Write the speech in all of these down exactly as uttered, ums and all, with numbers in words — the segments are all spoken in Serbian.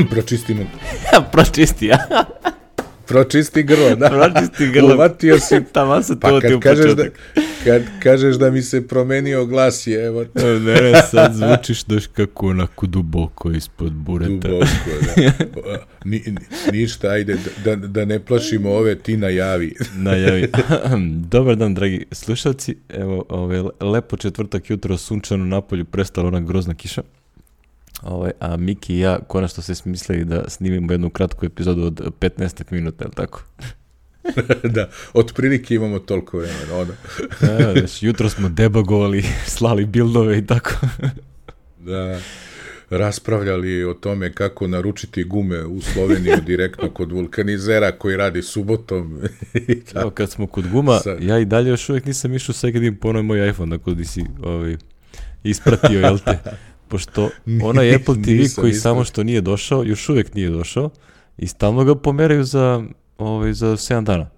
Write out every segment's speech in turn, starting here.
Pročistimo. Pročisti, ja. Pročisti grlo, da. Pročisti grlo. Uvatio si. Tamo se Pa to ti kad u kažeš, da, početak. kad kažeš da mi se promenio glas je, evo. Ne, ne, sad zvučiš daš kako onako duboko ispod bureta. Duboko, da. Ni, ni, ništa, ajde, da, da ne plašimo ove, ti najavi. Najavi. Dobar dan, dragi slušalci. Evo, ove, lepo četvrtak jutro, sunčano napolju, prestala ona grozna kiša. Ove, a Miki i ja konačno se smislili da snimimo jednu kratku epizodu od petnaest minuta, je li tako? Da, otprilike imamo toliko vremena, ono. Da, znači, jutro smo debagovali, slali bildove i tako. Da, raspravljali o tome kako naručiti gume u Sloveniju direktno kod vulkanizera koji radi subotom. Evo, kad smo kod guma, Sad. ja i dalje još uvijek nisam išao sve kad im ponoj moj iPhone, tako da si ovaj, ispratio, jel te? Pošto onaj Apple T V Nisam, koji nisam. samo što nije došao, još uvijek nije došao i stalno ga pomeraju za, ovaj, za sedam dana.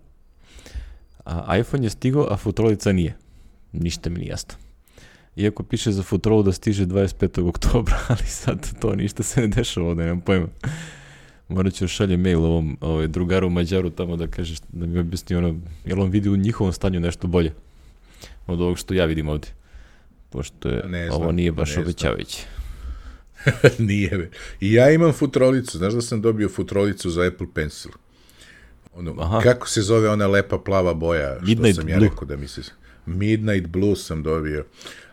A iPhone je stigao, a futrolica nije. Ništa mi nije jasno. Iako piše za futrolu da stiže dvadeset petog oktobra, ali sad to ništa se ne dešava, ovdje nemam pojma. Morat ću šalje mail ovom ovaj, drugaru Mađaru tamo da kažeš, da mi objasni ono, jel on vidi u njihovom stanju nešto bolje od ovog što ja vidim ovdje. Pošto je, Ne znam, ovo nije baš ne obećavajuće. Nije, be. I ja imam futrolicu, znaš da sam dobio futrolicu za Apple Pencil. Ono, Aha. kako se zove ona lepa plava boja, što Midnight sam ja Blue. rekao da mi se... Midnight Blue sam dobio.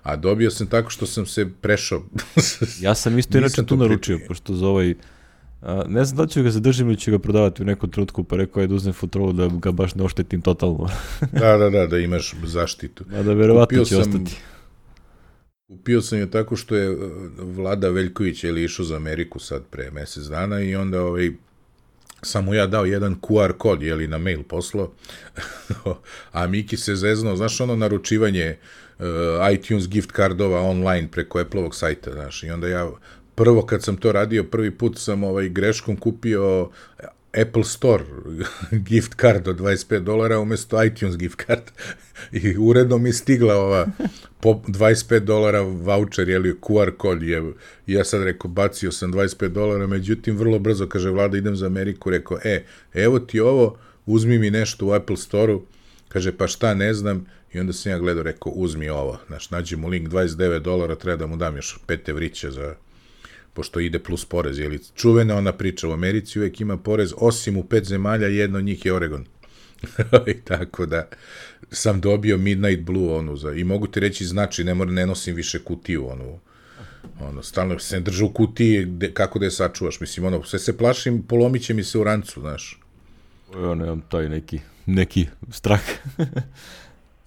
A dobio sam tako što sam se prešao. Ja sam isto inače Nisam tu to naručio, pričao. pošto za ovaj, a, ne znam da li ću ga zadržim ili ću ga prodavati u nekom trenutku, pa rekao je da uzmem futrolu da ga baš ne oštetim totalno. Da, da, da, da imaš zaštitu. A da verovatno Kupio će sam- ostati. Kupio sam je tako što je uh, Vlada Veljković je li išao za Ameriku sad pre mjesec dana i onda ovaj, sam mu ja dao jedan Q R kod, je li na mail poslao, a Miki se zeznuo, znaš ono naručivanje uh, iTunes gift cardova online preko Apple-ovog sajta, znaš, i onda ja prvo kad sam to radio, prvi put sam ovaj greškom kupio Apple Store gift card od dvadeset pet dolara umjesto iTunes gift card i uredno mi stigla ova po dvadeset pet dolara voucher, jeli Q R kod je, ja sad rekao bacio sam dvadeset pet dolara, međutim vrlo brzo kaže Vlada idem za Ameriku, rekao e, evo ti ovo, uzmi mi nešto u Apple Store-u, kaže pa šta ne znam, i onda sam ja gledao, rekao uzmi ovo, znaš, nađi mu link dvadeset devet dolara, treba da mu dam još pet evrića za pošto ide plus porez, je li čuvena ona priča, u Americi uvijek ima porez, osim u pet zemalja, jedno od njih je Oregon. I tako da sam dobio Midnight Blue onu za, i mogu ti reći znači, ne moram, ne nosim više kutiju onu, ono, stalno se držu u kutiji, de, kako da je sačuvaš, mislim, ono, sve se plašim, polomit će mi se u rancu, znaš. Ja nemam taj neki, neki strah.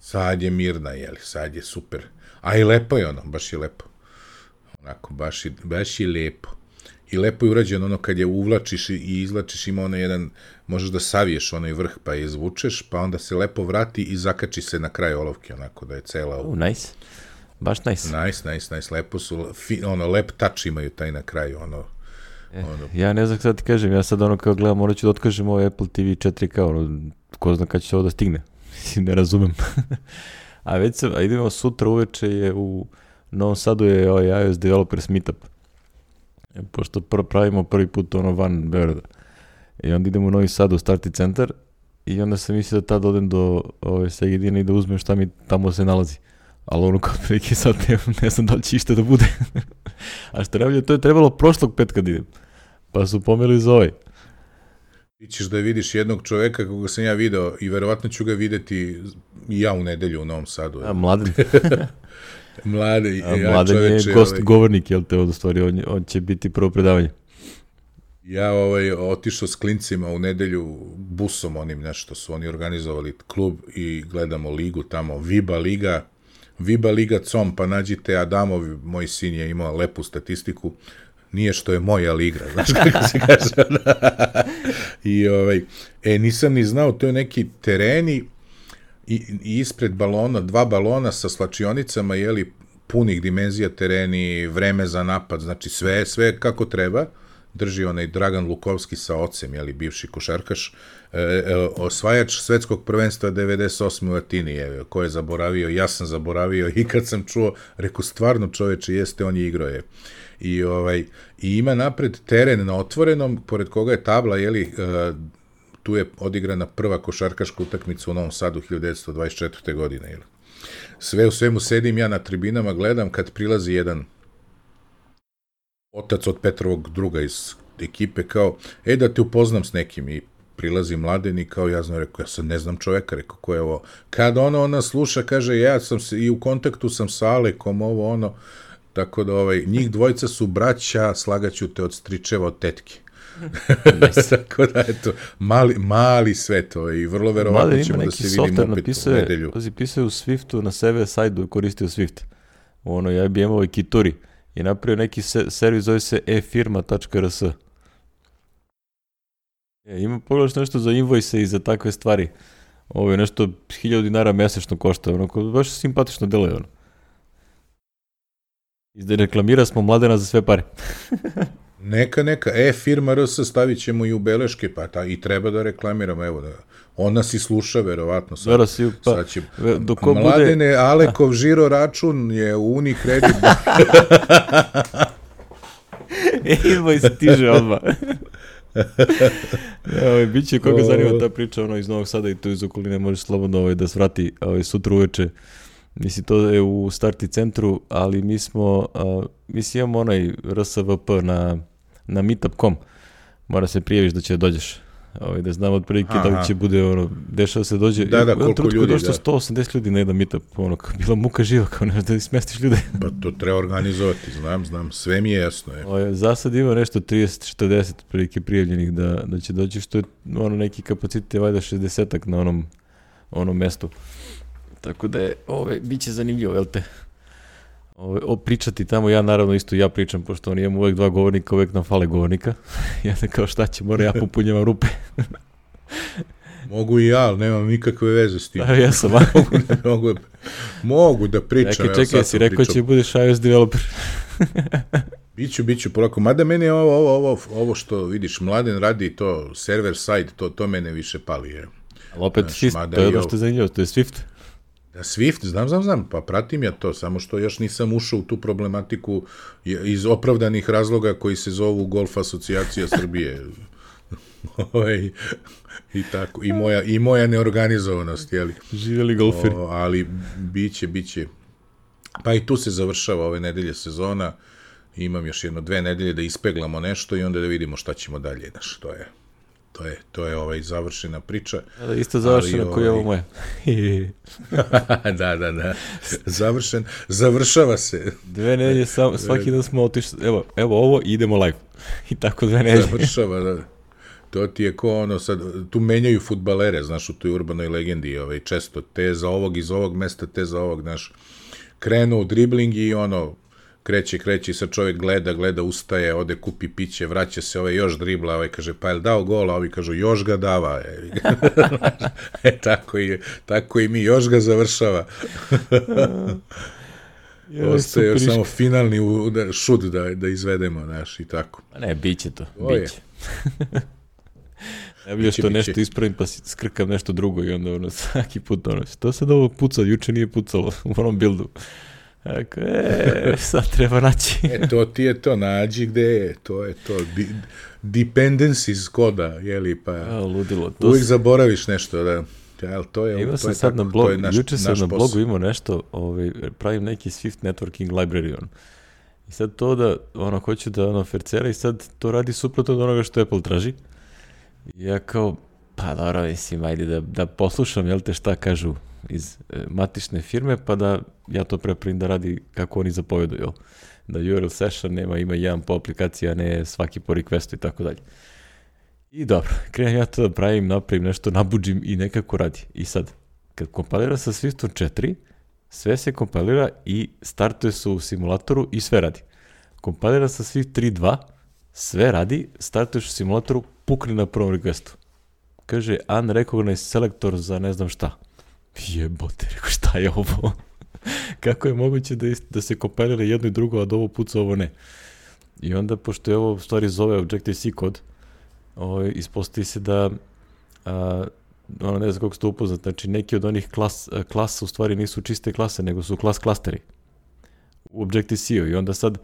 Sad je mirna, jeli, sad je super. A i lepo je ono, baš je lepo. Onako, baš je, baš je lepo. I lepo je urađeno ono kad je uvlačiš i izlačiš, ima ono jedan, možeš da saviješ onaj vrh pa je izvučeš, pa onda se lepo vrati i zakači se na kraj olovke, onako da je cela... Oh, nice. Baš nice. Nice, nice, nice, lepo su, fi, ono, lep touch imaju taj na kraju, ono... E, ono ja ne znam kada ti kažem, ja sad ono kao gledam, morat ću da otkažem ovaj Apple T V četiri K, ono, ko zna kada će ovo da stigne. Mislim, ne razumem. A već sam, a idemo sutra uveče je u Novom Sadu je ovaj iOS Developers Meetup. E, pošto pr- pravimo prvi put ono van Beograda. I onda idemo u Novi Sad u Starti centar i onda sam mislio da tad odem do ove Segedina i da uzmem šta mi tamo se nalazi. Ali ono kod prilike sad ne, ne znam da li će išta da bude. A što najbolje, to je trebalo prošlog petka da idem. Pa su pomerili za ovaj. Ti ćeš da vidiš jednog čoveka koga sam ja video i verovatno ću ga videti i ja u nedelju u Novom Sadu. A Mladen, Mlade, a ja Mladen je čoveče, gost ovaj, govornik, jel te, od stvari, on, on će biti prvo predavanje. ja ovaj, otišao s klincima u nedelju busom onim, nešto su oni organizovali klub i gledamo ligu tamo, Viba Liga, Viba Liga com, pa nađite Adamov, moj sin je imao lepu statistiku, nije što je moja liga, znaš kako se kaže. I ovaj, e, nisam ni znao, to je neki tereni i, i ispred balona, dva balona sa slačionicama, jeli, punih dimenzija tereni, vreme za napad, znači sve, sve kako treba, drži onaj Dragan Lukovski sa ocem, jeli, bivši košarkaš, e, e, osvajač svetskog prvenstva devedeset osme u Atini, je, ko je zaboravio, ja sam zaboravio i kad sam čuo, rekao, stvarno čoveče, jeste, on je igrao je. I, ovaj, i ima napred teren na otvorenom, pored koga je tabla, jeli, e, tu je odigrana prva košarkaška utakmica u Novom Sadu hiljadu devetsto dvadeset četvrte. godine, jeli. Sve u svemu sedim ja na tribinama, gledam kad prilazi jedan otac od Petrovog druga iz ekipe, kao, e, da te upoznam s nekim, i prilazi Mladen i kao, ja znam, rekao, ja sad ne znam čoveka, rekao, ko je ovo? Kad ono, ona sluša, kaže, ja sam se, i u kontaktu sam sa Alekom, ovo, ono, tako da, ovaj, njih dvojica su braća, slagaću te od stričeva, od tetke. Tako da, eto, mali, mali svet, ovaj, i vrlo verovatno ćemo da se vidimo opet u nedelju. Pazi, pisao je u Swiftu, na server sajdu koristio Swift, u onoj I B M-ovoj Kituri, i napravio neki se, servis, zove se e firma tačka r s. E, ima pogledaš nešto za invoice i za takve stvari. Ovo je nešto hiljadu dinara mesečno košta, onako, baš simpatično deluje, ono. Izde reklamira smo Mladena za sve pare. Neka, neka, e firma R S stavit ćemo i u beleške, pa ta, i treba da reklamiramo, evo, da, on nas i sluša, verovatno, sad, Vera si, pa, sad će, doko Mladene, bude... Alekov žiro račun je u Unicredit. E, invoice stiže odmah. Evo, biće koga zanima ta priča, ono, iz Novog Sada i tu iz okoline, možeš slobodno ovaj, da svrati ovaj, sutra uveče. Mislim, to je u Starti centru, ali mi smo, uh, mislim, imamo onaj R S V P na, na meetup dot com. Mora se prijaviš da će dođeš. Ovaj, da znam otprilike da li će bude, ono, dešava se dođe. Da, da, koliko ljudi, da. Došlo sto osamdeset ljudi na jedan meetup, ono, bila muka živa, kao nešto da smestiš ljude. Pa to treba organizovati, znam, znam, sve mi je jasno. Je. Ovaj, za sad ima nešto trideset četrdeset prilike prijavljenih da, da će doći, što je ono, neki kapacitet je valjda šezdesetak na onom, onom mestu. Tako da je, ove, bit će zanimljivo, jel te? Ove, o, pričati tamo, ja naravno isto ja pričam, pošto on imam uvek dva govornika, uvek nam fale govornika. Ja ne kao šta će, mora ja popunjavam rupe. Mogu i ja, ali nemam nikakve veze s tim. Da, ja sam. mogu, da, mogu, mogu da pričam. Čekaj, čekaj, si rekao će budeš iOS developer. Biću, biću polako. Mada meni je ovo, ovo, ovo, ovo što vidiš, Mladen radi to, server side, to, to mene više pali. Je. Ali opet znaš, Swift, to je ono što je zanimljivo, to je Swift. Da, Swift, znam, znam, znam, pa pratim ja to, samo što još nisam ušao u tu problematiku iz opravdanih razloga koji se zovu Golf asocijacija Srbije. Oj, i tako, i moja, i moja neorganizovanost, jeli? Živjeli golferi. O, ali biće, biće. Pa i tu se završava ove nedelje sezona, imam još jedno dve nedelje da ispeglamo nešto i onda da vidimo šta ćemo dalje, znaš, to je. To je, to je ovaj završena priča. Da, isto završena koji je ovo moja. da, da, da. Završen, završava se. Dve nedelje, sam, svaki dan smo otišli, evo, evo ovo i idemo live. I tako dve nedelje. Završava, da. To ti je ko ono, sad, tu menjaju fudbalere, znaš, u toj urbanoj legendi, ovaj, često, te za ovog iz ovog mesta, te za ovog, znaš, krenu u dribling i ono, kreće, kreće i sad čovjek gleda, gleda, ustaje, ode kupi piće, vraća se, ovaj još dribla, ovaj kaže, pa je li dao gol, a ovi kažu, još ga dava. e, tako, i, tako i mi, još ga završava. Ostaje još samo finalni šut da, da izvedemo, znaš, i tako. Ne, bit će to, bit će. Ja bih što nešto ispravim pa skrkam nešto drugo i onda ono, svaki put ono, što sad ovo pucao, juče nije pucalo u onom buildu. Eko, e, sad treba naći. e, to ti je to, nađi gde je, to je to, Di, dependencies koda, jeli, pa a, ludilo. To uvijek s... zaboraviš nešto, da, ja, to je, imao to sam je sad tako, na blog, naš, juče sam na blogu posao. Imao nešto, ovaj, pravim neki Swift networking library, on. I sad to da, ono, hoću da, ono, fercera i sad to radi suprotno od onoga što Apple traži. I ja kao, pa dobro, mislim, ajde da, da poslušam, jel te, šta kažu iz e, matične firme, pa da ja to prepravim da radi kako oni zapovedu, jel? Da U R L session nema, ima jedan po aplikaciji, a ne svaki po requestu i tako dalje. I dobro, krenem ja to da pravim, napravim nešto, nabuđim i nekako radi. I sad, kad kompilira sa Swiftom četiri, sve se kompilira i startuje se u simulatoru i sve radi. Kompilira sa Swift tri dva, sve radi, startuješ u simulatoru, pukne na prvom requestu. Kaže, unrecognized selector za ne znam šta. Jebote, rekao, šta je ovo? Kako je moguće da, ist, da se kompilira jedno i drugo, a da ovo puca, ovo ne? I onda, pošto je ovo u stvari zove Objective-C kod, ovaj, ispostavi se da, a, ono ne znam kako ste upoznat, znači neki od onih klas, klasa u stvari nisu čiste klase, nego su klas klasteri u Objective-C-u. I onda sad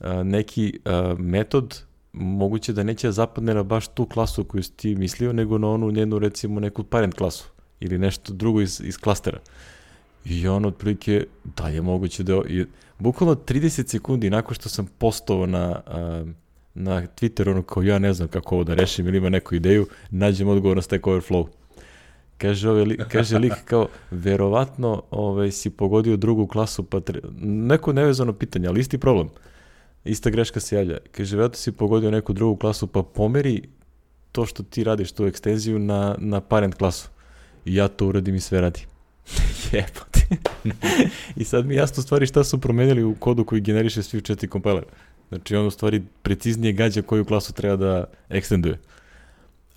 a, neki a, metod moguće da neće zapadne na baš tu klasu koju si ti mislio, nego na onu njenu, recimo, neku parent klasu ili nešto drugo iz, iz klastera. I on otprilike, da je moguće da... I, bukvalno trideset sekundi nakon što sam postovao na, a, na Twitter, ono kao ja ne znam kako ovo da rešim ili ima neku ideju, nađem odgovor na Stack Overflow. Kaže, ovaj, li, kaže lik kao, verovatno ovaj, si pogodio drugu klasu, pa tre... neko nevezano pitanje, ali isti problem. Ista greška se javlja. Kaže, verovatno si pogodio neku drugu klasu, pa pomeri to što ti radiš, tu ekstenziju na, na parent klasu. I ja to uradim i sve radi. Jebote. I sad mi jasno stvari šta su promenili u kodu koji generiše Swift četiri compiler. Znači on u stvari preciznije gađa koju klasu treba da ekstenduje.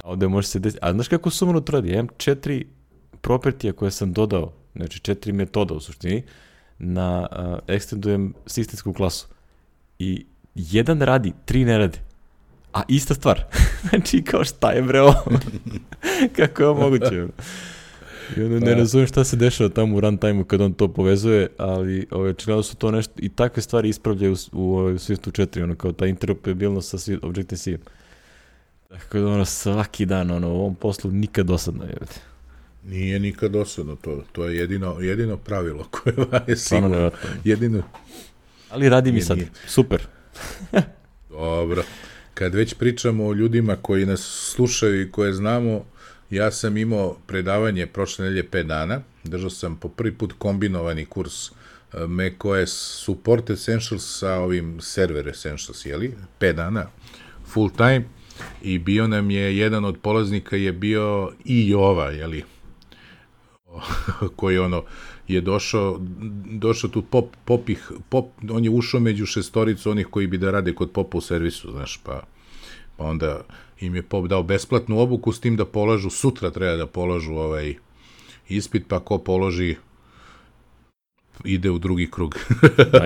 A ovde može se desiti. A znaš kako sumano to radi? Ja imam četiri propertija koje sam dodao, znači četiri metoda u suštini, na uh, ekstendujem sistemsku klasu. I jedan radi, tri ne radi. A ista stvar. Znači kao šta je bre ovo? Kako je ovo moguće? I onda ne razumijem šta se dešava tamo u runtime-u kad on to povezuje, ali ove, očigledno su to nešto, i takve stvari ispravljaju u, u, u Swiftu četiri, ono kao ta interoperabilnost sa Objective-C. Tako da ono svaki dan, ono, u ovom poslu nikad dosadno je. Nije nikad dosadno to, to je jedino, jedino pravilo koje je sigurno. Jedino. Ali radi mi sad, super. Dobro. Kad već pričamo o ljudima koji nas slušaju i koje znamo, ja sam imao predavanje prošle nedelje pet dana, držao sam po prvi put kombinovani kurs macOS Support Essentials sa ovim Server Essentials, jeli? pet dana, full time, i bio nam je, jedan od polaznika je bio i Jova, jeli? Koji ono je došao, došao tu pop, popih, pop, on je ušao među šestoricu onih koji bi da rade kod popa u servisu, znaš, pa, pa onda im je pop dao besplatnu obuku s tim da polažu, sutra treba da polažu ovaj ispit, pa ko položi ide u drugi krug.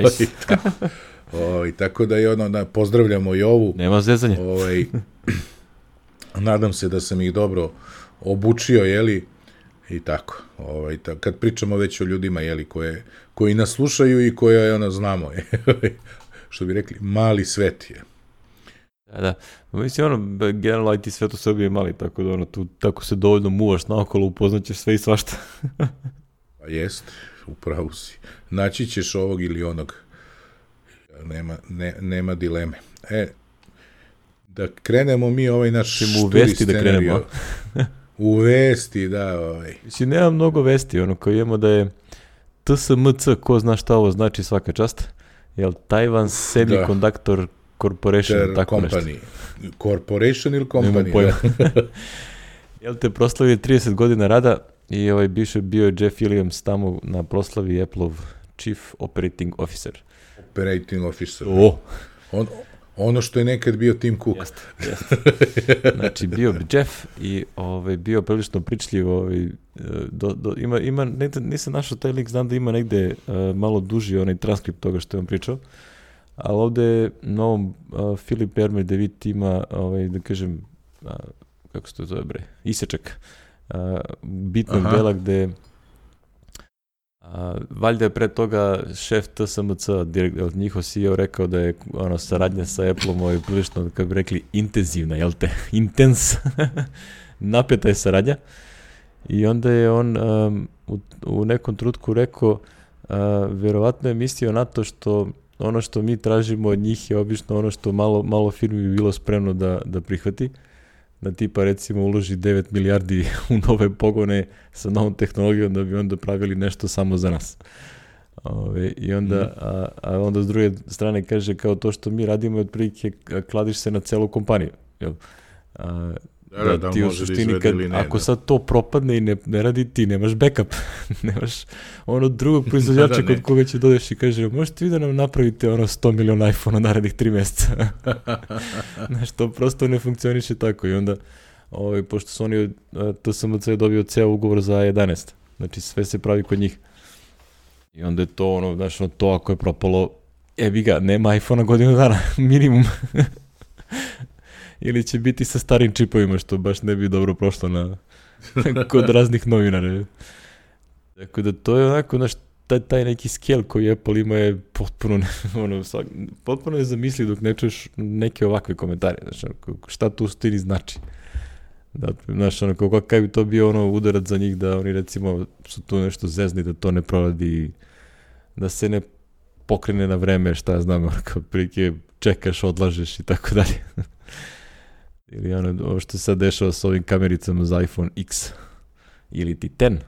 Nice. o, tako da je ono, da pozdravljamo i ovu. Nema zezanja. Ovaj, nadam se da sam ih dobro obučio, jeli, i tako. Ovaj, ta, kad pričamo već o ljudima, jeli, koje, koji nas slušaju i koje ono, znamo, što bi rekli, mali svet je. Da, da. Mislim, ono, generalno I T svet u Srbiji je mali, tako da ono, tu tako se dovoljno muvaš naokolo, upoznaćeš sve i svašta. Pa jest, upravo si. Naći ćeš ovog ili onog. Nema, ne, nema dileme. E, da krenemo mi ovaj naš šturi scenario. U vesti, da. Ovaj. Mislim, nema mnogo vesti, ono, kao imamo da je T S M C, ko zna šta ovo znači, svaka čast, jel, Taiwan Semiconductor da. Corporation, Ter tako company. Nešto. Corporation ili company? Nemam pojma. Jel te proslavio trideset godina rada i ovaj biše bio je Jeff Williams tamo na proslavi Apple-ov Chief Operating Officer. Operating Officer. O! On, ono što je nekad bio Tim Cook. Jeste, jeste. Znači, bio bi Jeff i ovaj, bio prilično pričljiv. Ovaj, do, do, ima, ima, negde, nisam našao taj link, znam da ima negde uh, malo duži onaj transkript toga što je on pričao. Ali ovde na ovom uh, Filip Ermer David ima, ovaj, da kažem, uh, kako se to zove bre, isečak uh, bitnog Aha. dela gde uh, valjda je pre toga šef T S M C, direkt, njihov C E O rekao da je ono, saradnja sa Apple-om ovaj, prilično, kako bi rekli, intenzivna, jel te? Intens. Napeta je saradnja. I onda je on um, u, u nekom trenutku rekao, uh, verovatno je mislio na to što ono što mi tražimo od njih je obično ono što malo, malo firmi bi bilo spremno da, da prihvati, da tipa recimo uloži devet milijardi u nove pogone sa novom tehnologijom da bi onda pravili nešto samo za nas. Ove, I onda, a, a onda s druge strane kaže kao to što mi radimo je otprilike kladiš se na celu kompaniju. Jel? A, Da, da, da ti u suštini kad, ne, ako da. sad to propadne i ne, ne radi, ti nemaš backup. Nemaš ono drugog proizvođača da, da, kod koga će dodeš i kaže možete vi da nam napravite ono sto miliona iPhone-a narednih tri mjeseca. Znaš, to prosto ne funkcioniše tako i onda ovaj, pošto su oni T S M C je dobio ceo ugovor za A jedanaest. Znači sve se pravi kod njih. I onda je to ono, znaš, ono, to ako je propalo Ebi ga, nema iPhone-a godinu dana, minimum. Ili će biti sa starim čipovima, što baš ne bi dobro prošlo na, kod raznih novinara. Tako da to je onako, znaš, taj, taj neki scale koji Apple ima je potpuno, ono, potpuno je zamisli dok ne čuješ neke ovakve komentare. Znaš, šta tu stini znači? Da, znaš, ono, kako, kaj bi to bio ono udarac za njih da oni recimo su tu nešto zezni, da to ne proradi, da se ne pokrene na vreme, šta ja znam, kao prilike čekaš, odlažeš i tako dalje. Ili ono, ovo što se sad dešava s ovim kamericama za iPhone X ili ti deset.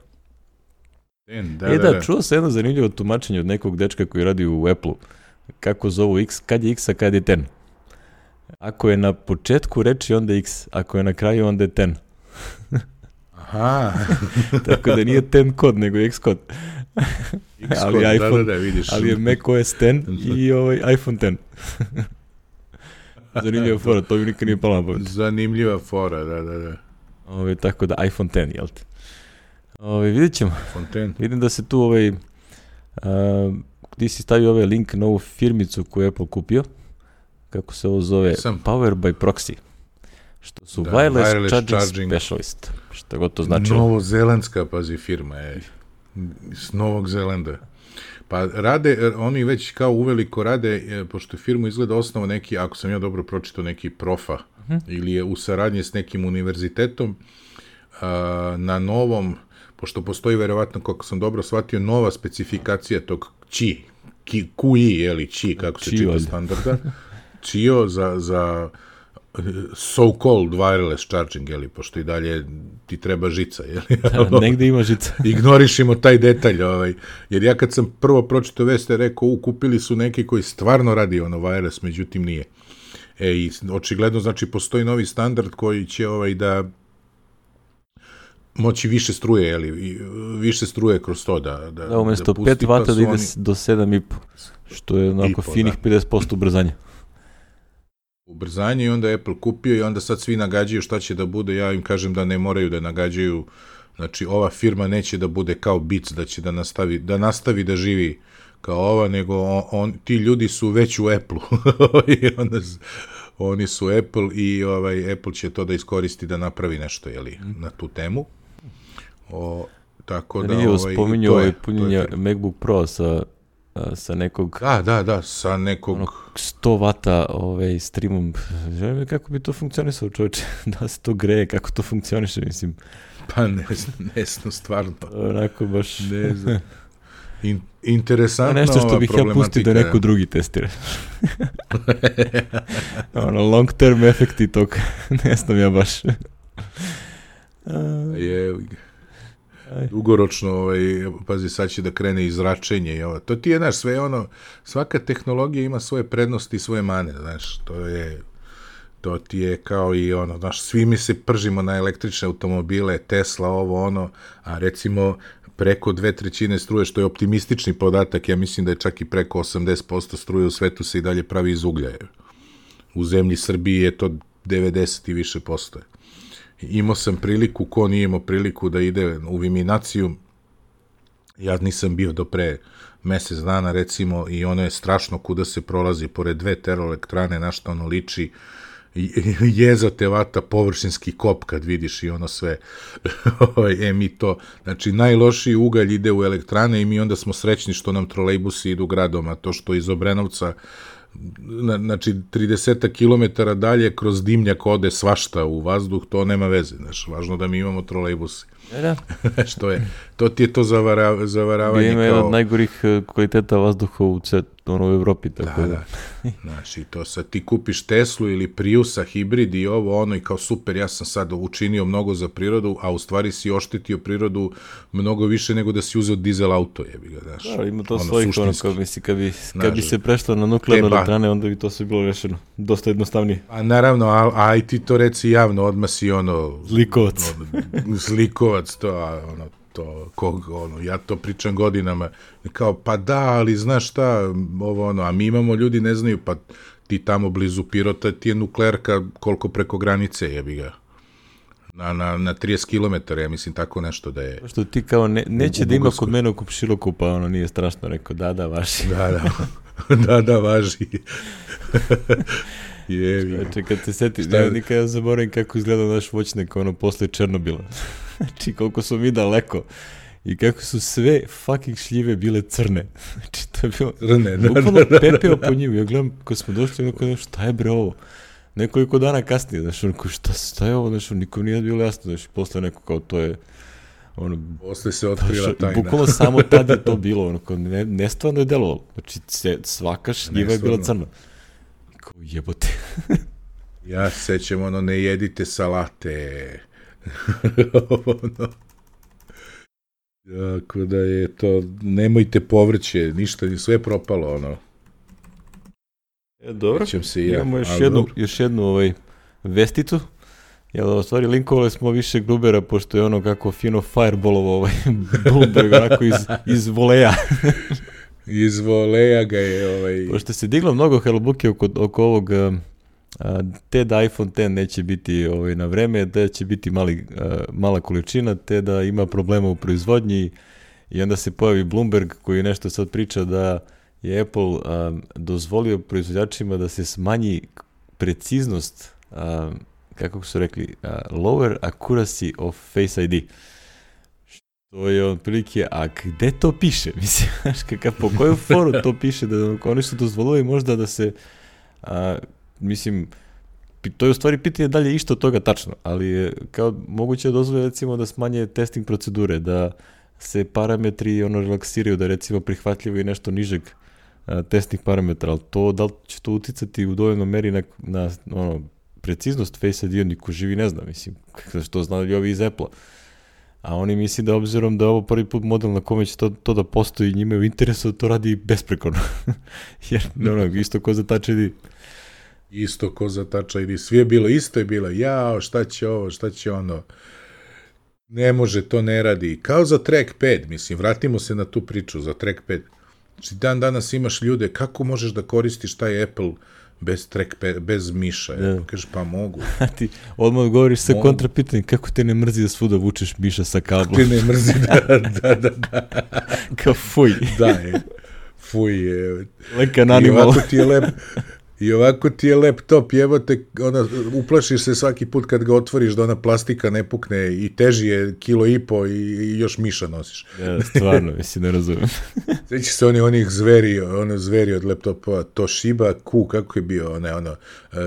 ten, da, e da, da, da, čuo se jedno zanimljivo tumačenje od nekog dečka koji radi u Apple-u. Kako zovu X, kad je X, a kad je deset. Ako je na početku reči, onda X. Ako je na kraju, onda je deset. Aha. Tako da nije deset kod, nego X kod. X ali kod, iPhone, da, da, da, vidiš. Ali je macOS deset i ovaj iPhone deset. Zanimljiva fora, to mi nikad nije palo na pamet. Zanimljiva fora, da, da, da. Ove, tako da iPhone deset, jel te? Ove, vidjet ćemo. Fontaine. Vidim da se tu ovaj, uh, ti si stavio ovaj link na ovu firmicu koju je Apple kupio. Kako se ovo zove? Sam. Power by Proxy. Što su Da, wireless, wireless charging, charging. specialist. Što god to znači. Novozelandska, pazi, firma je. S Novog Zelanda. Pa rade, oni već kao uveliko rade, pošto je firmu izgleda osnovo neki, ako sam ja dobro pročitao, neki profa, uh-huh. ili je u saradnji s nekim univerzitetom, a, na novom, pošto postoji verovatno, kako sam dobro shvatio, nova specifikacija tog Qi, Q I, jeli, Qi, kako se čita standarda, Qio za, za so-called wireless charging, jeli, pošto i dalje ti treba žica, jeli? Da, negde ima žica. Ignorišimo taj detalj, ovaj, jer ja kad sam prvo pročitao veste, rekao, u, kupili su neki koji stvarno radi ono wireless, međutim nije. E, i očigledno, znači, postoji novi standard koji će, ovaj, da moći više struje, jeli, više struje kroz to, da, da, da umjesto da pet vata pa da ide oni... do sedam i po, što je onako po, finih da. pedeset posto ubrzanja. Ubrzanje i onda Apple kupio i onda sad svi nagađaju šta će da bude, ja im kažem da ne moraju da nagađaju, znači ova firma neće da bude kao Beats, da će da nastavi da, nastavi da živi kao ova, nego on, on, ti ljudi su već u Apple-u i onda, oni su Apple i ovaj, Apple će to da iskoristi da napravi nešto, jeli, na tu temu. O, tako da... Nije ovaj, spominjao ovaj punjenje MacBook Pro sa sa nekog... Da, da, da, sa nekog... Ono, sto vata ovaj, streamom. Želim kako bi to funkcionisalo, čovječe. Da se to greje, kako to funkcioniše, mislim. Pa ne znam, ne znam, stvarno. Onako baš... Ne znam. In, interesantna nešto što bih ja pustio da neko drugi testira. Ono, long term efekti tog. Ne znam ja baš. Je... Dugoročno, ovaj, pazi, sad će da krene i zračenje i ovo. To ti je, znaš, sve ono, svaka tehnologija ima svoje prednosti i svoje mane, znaš, to je, to ti je kao i ono, znaš, svi mi se pržimo na električne automobile, Tesla, ovo, ono, a recimo preko dve trećine struje, što je optimistični podatak, ja mislim da je čak i preko osamdeset posto struje u svetu se i dalje pravi iz uglja. U zemlji Srbiji je to devedeset i više posto. Imao sam priliku, ko nije imao priliku da ide u Viminaciju, ja nisam bio do pre mesec dana, recimo, i ono je strašno kuda se prolazi pored dve termoelektrane, na što ono liči, jeza te vata površinski kop kad vidiš i ono sve, e mi to, znači najlošiji ugalj ide u elektrane i mi onda smo srećni što nam trolejbusi idu gradom, a to što iz Obrenovca, znači trideset kilometara dalje kroz dimnjak ode svašta u vazduh, to nema veze, znaš, važno da mi imamo trolejbusi. Da. Što je, to ti je to zavara, zavaravanje kao... Ima kao... jedan od najgorih kvaliteta vazduha u, cet, ono, u Evropi, tako da. Da, da. Znači, to sad ti kupiš Teslu ili Priusa, hibrid i ovo, ono, i kao super, ja sam sad učinio mnogo za prirodu, a u stvari si oštetio prirodu mnogo više nego da si uzeo dizel auto, jebi ga, znaš. Da, ima to ono, svojih, ono, kao misli, kad bi, kad bi se prešlo na nuklearne elektrane, onda bi to sve bilo rešeno. Dosta jednostavnije. A naravno, a, a i ti to reci javno, odmah si ono... Zlikovac. Ono, zlikovac, to, a, ono, to, kog, ono, ja to pričam godinama, kao, pa da, ali znaš šta, ovo, ono, a mi imamo, ljudi ne znaju, pa ti tamo blizu Pirota, ti je nuklearka koliko preko granice, jebi ga. Na, na, na trideset kilometara, ja mislim, tako nešto da je... Što ti kao, ne, neće u, u da ima kod mene u Kupšiluku, pa ono, nije strašno, rekao, da, da, vaši. Da, da. da, da, važi. Jevi. Znači, kad se setiš, ja nikad ja zaboravim kako izgleda naš voćnik ono posle Černobila. Znači, koliko smo mi daleko i kako su sve fucking šljive bile crne. Znači, to je bilo... Crne, da, bukvalno da, da, pepeo da. po njima. Ja gledam, kad smo došli, ono, šta je bre ovo? Nekoliko dana kasnije, znaš, ono, šta, šta je ovo, znaš, nikom nije bilo jasno, znaš, posle neko kao to je, ono... Posle se otkrila tajna. Bukvalno samo tad je to bilo, ono, kao ne, nestvarno je delovalo. Znači, svaka šljiva je bila crna. Kao jebote. Ja se sećam, ono, ne jedite salate. ono... Jako da je to, nemojte povrće, ništa, sve propalo, ono. E, dobro, se ja, imamo još jednu, još jednu ovaj, vesticu. Jel, u stvari, linkovali smo više Grubera, pošto je ono kako fino firebalovo ovaj Bloomberg, onako iz, iz voleja. iz voleja ga je ovaj... Pošto se diglo mnogo halabuke oko, oko ovog, a, te da iPhone X neće biti ovaj, na vreme, da će biti mali, a, mala količina, te da ima problema u proizvodnji i onda se pojavi Bloomberg koji nešto sad priča da je Apple um, dozvolio proizvođačima da se smanji preciznost, um, kako su rekli, uh, lower accuracy of Face I D. Što je otprilike, a gde to piše? Mislim, kakav, po koju foru to piše da oni su dozvolili možda da se, uh, mislim, to je u stvari pitanje da li je išto od toga tačno, ali je kao moguće dozvoliti recimo da smanje testing procedure, da se parametri ono relaksiraju, da recimo prihvatljivo i nešto nižeg testnih parametra, ali to, da li će to uticati u dovoljnoj meri na, na ono, preciznost Face I D, niko živi ne zna, mislim, što znali ovi iz Apple-a. A oni misli da obzirom da je ovo prvi put model na kome će to, to da postoji, njima je u interesu da to radi besprekorno. Jer, ono, isto ko za Touch I D. Isto ko za Touch I D. Svi je bilo, isto je bilo, jao, šta će ovo, šta će ono. Ne može, to ne radi. Kao za trackpad, mislim, vratimo se na tu priču za trackpad. Znači, dan danas imaš ljude, kako možeš da koristiš taj Apple bez trackpad, bez miša? Ja. Ja, kažeš, pa mogu. A ti odmah govoriš sa kontrapitanjem, kako te ne mrzi da svuda vučeš miša sa kablom? Kako te ne mrzi, da, da, da. da. Kao fuj. Da, je. Fuj je. Lekan animal. I ovako ti je lep... I ovako ti je laptop, evo te, ona, uplašiš se svaki put kad ga otvoriš da ona plastika ne pukne i teži je kilo i po i, i još miša nosiš. Ja, stvarno, mislim, ne razumijem. Sveći se oni onih zveri, ono zveri od laptopa, Toshiba Q, kako je bio, one, ono,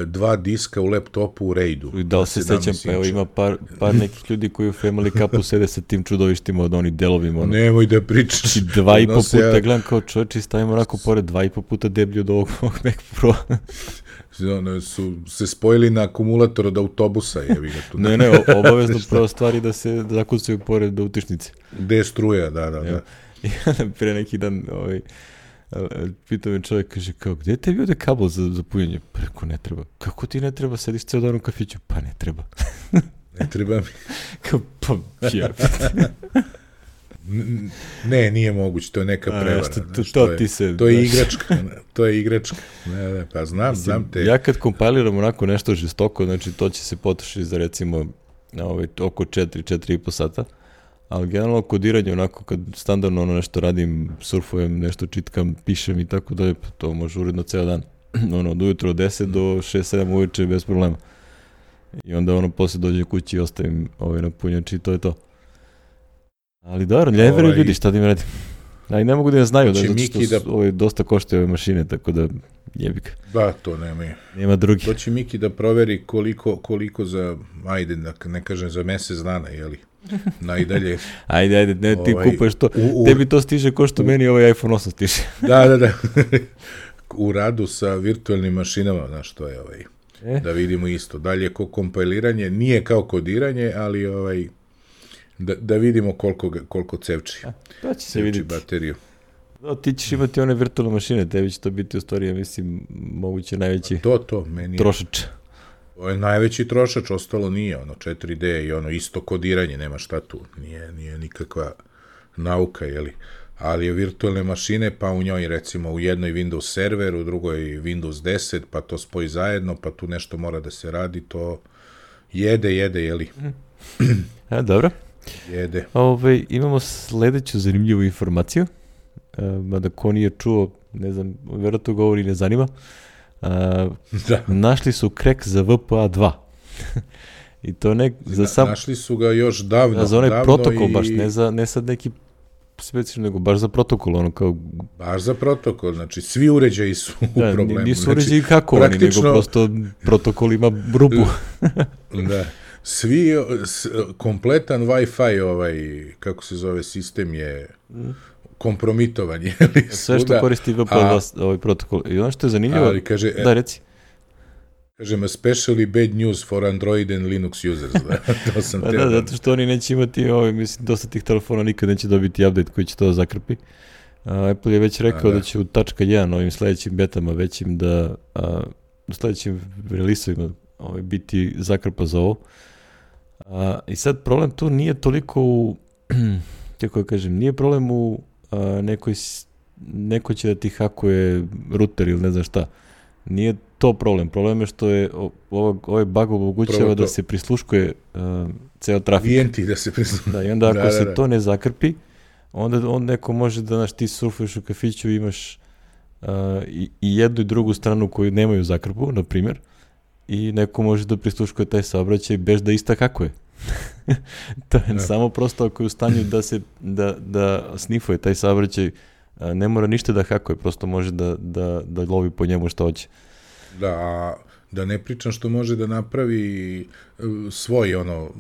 dva diska u laptopu u Raidu. Da li se sećam, pa evo ima par, par nekih ljudi koji u Family Cupu sede sa tim čudovištima od onih delovima. Ono. Nemoj da pričaš. I dva i po puta, ja... gledam kao čovječ i stavimo onako pored dva i po puta deblju od ovog Mac Pro. One su se spojili na akumulator od autobusa, jevi ga tu. Ne, ne, obavezno prvo stvari da se zakucaju pored utičnice. Gde je struja, da, da, da. I pre neki dan ovaj, pitao me čovjek, kaže, kao, gde tebi ovde kabel za, za punjenje? Preko ne treba. Kako ti ne treba? Sediš ceo dan u kafiću? Pa ne treba. Ne treba mi. Kao, pa, ja. Ne, nije moguće, to je neka prevara. A, što, to, znaš, to, to, je, ti se, to je igračka, to je igračka. Ne, ne, pa znam, mislim, znam te. Ja kad kompiliram onako nešto žestoko, znači to će se potrošiti za recimo ovaj, oko četiri, četiri i po sata, ali generalno kodiranje onako kad standardno ono nešto radim, surfujem, nešto čitkam, pišem i tako da to može uredno ceo dan. Ono, od ujutro od deset do šest sedam uveče bez problema. I onda ono posle dođe kući i ostavim ovaj na punjači i to je to. Ali dobro, ne veruju ovaj, ljudi, šta da im radim. A i ne mogu da ne znaju, da, zato što su, da... ovaj, dosta koštaju ove mašine, tako da jebika. Da, to nema. Nema drugi. To će Miki da proveri koliko, koliko za, ajde, ne kažem za mesec dana, jeli? Najdalje. Ajde, ajde, ne, ti ovaj, kupuješ to. U, u, Tebi to stiže ko što u, meni ovaj iPhone osam stiže. Da, da, da. U radu sa virtualnim mašinama, znaš, to je ovaj, e? Da vidimo isto. Dalje, ko kompiliranje, nije kao kodiranje, ali ovaj... Da, da vidimo koliko, koliko cevči. A, to će se vidjeti. Bateriju. Da, ti ćeš imati one virtualne mašine, tebi će to biti u stvari, ja mislim, moguće najveći to, to, meni trošač. To je najveći trošač, ostalo nije, ono, četiri D i ono, isto kodiranje, nema šta tu, nije, nije nikakva nauka, jeli. Ali je virtualne mašine, pa u njoj, recimo, u jednoj Windows server, u drugoj Windows deset, pa to spoji zajedno, pa tu nešto mora da se radi, to jede, jede, jeli. A, dobro. Jede. Ove, imamo sledeću zanimljivu informaciju, e, mada ko nije čuo, ne znam, vjerojatno govori ne zanima. Uh, da. Našli su krek za V P A dva. I to ne za sam... Našli su ga još davno. Da, za onaj davno protokol i... baš, ne, za, ne sad neki specijalno, nego baš za protokol, ono kao... Baš za protokol, znači svi uređaji su u da, problemu. Nisu znači, uređaji hakovani, praktično... nego prosto protokol ima rupu. da, svi, s, kompletan Wi-Fi, ovaj, kako se zove, sistem je kompromitovan. Je li, sve što koristi V P A dva, ovaj protokol. I ono što je zanimljivo... Ali kaže... Da, reci. Kažem, especially bad news for Android and Linux users. Da, to sam da, da, zato što oni neće imati, ovaj, mislim, dosta tih telefona nikad neće dobiti update koji će to zakrpi. Uh, Apple je već rekao da. da će u tačka jedan ovim sledećim betama većim da uh, u sledećim releaseovima ovaj, biti zakrpa za ovo. Uh, I sad problem tu nije toliko u, kako ja kažem, nije problem u uh, nekoj, neko će da ti hakuje router ili ne znam šta. Nije to problem. Problem je što je ovo, ovaj bug omogućava da se prisluškuje uh, ceo trafik. Klijenti da se prisluškuje. Da, i onda ako da, se da, da. to ne zakrpi, onda on neko može da, znaš, ti surfuješ u kafiću i imaš uh, i, i jednu i drugu stranu koju nemaju zakrpu, na primjer, i neko može da prisluškuje taj saobraćaj bez da ista hakuje. To je da. Samo prosto ako je u stanju da se da, da snifuje taj saobraćaj, ne mora ništa da hakuje, prosto može da, da, da lovi po njemu što hoće. Da, a da ne pričam što može da napravi svoj, ono,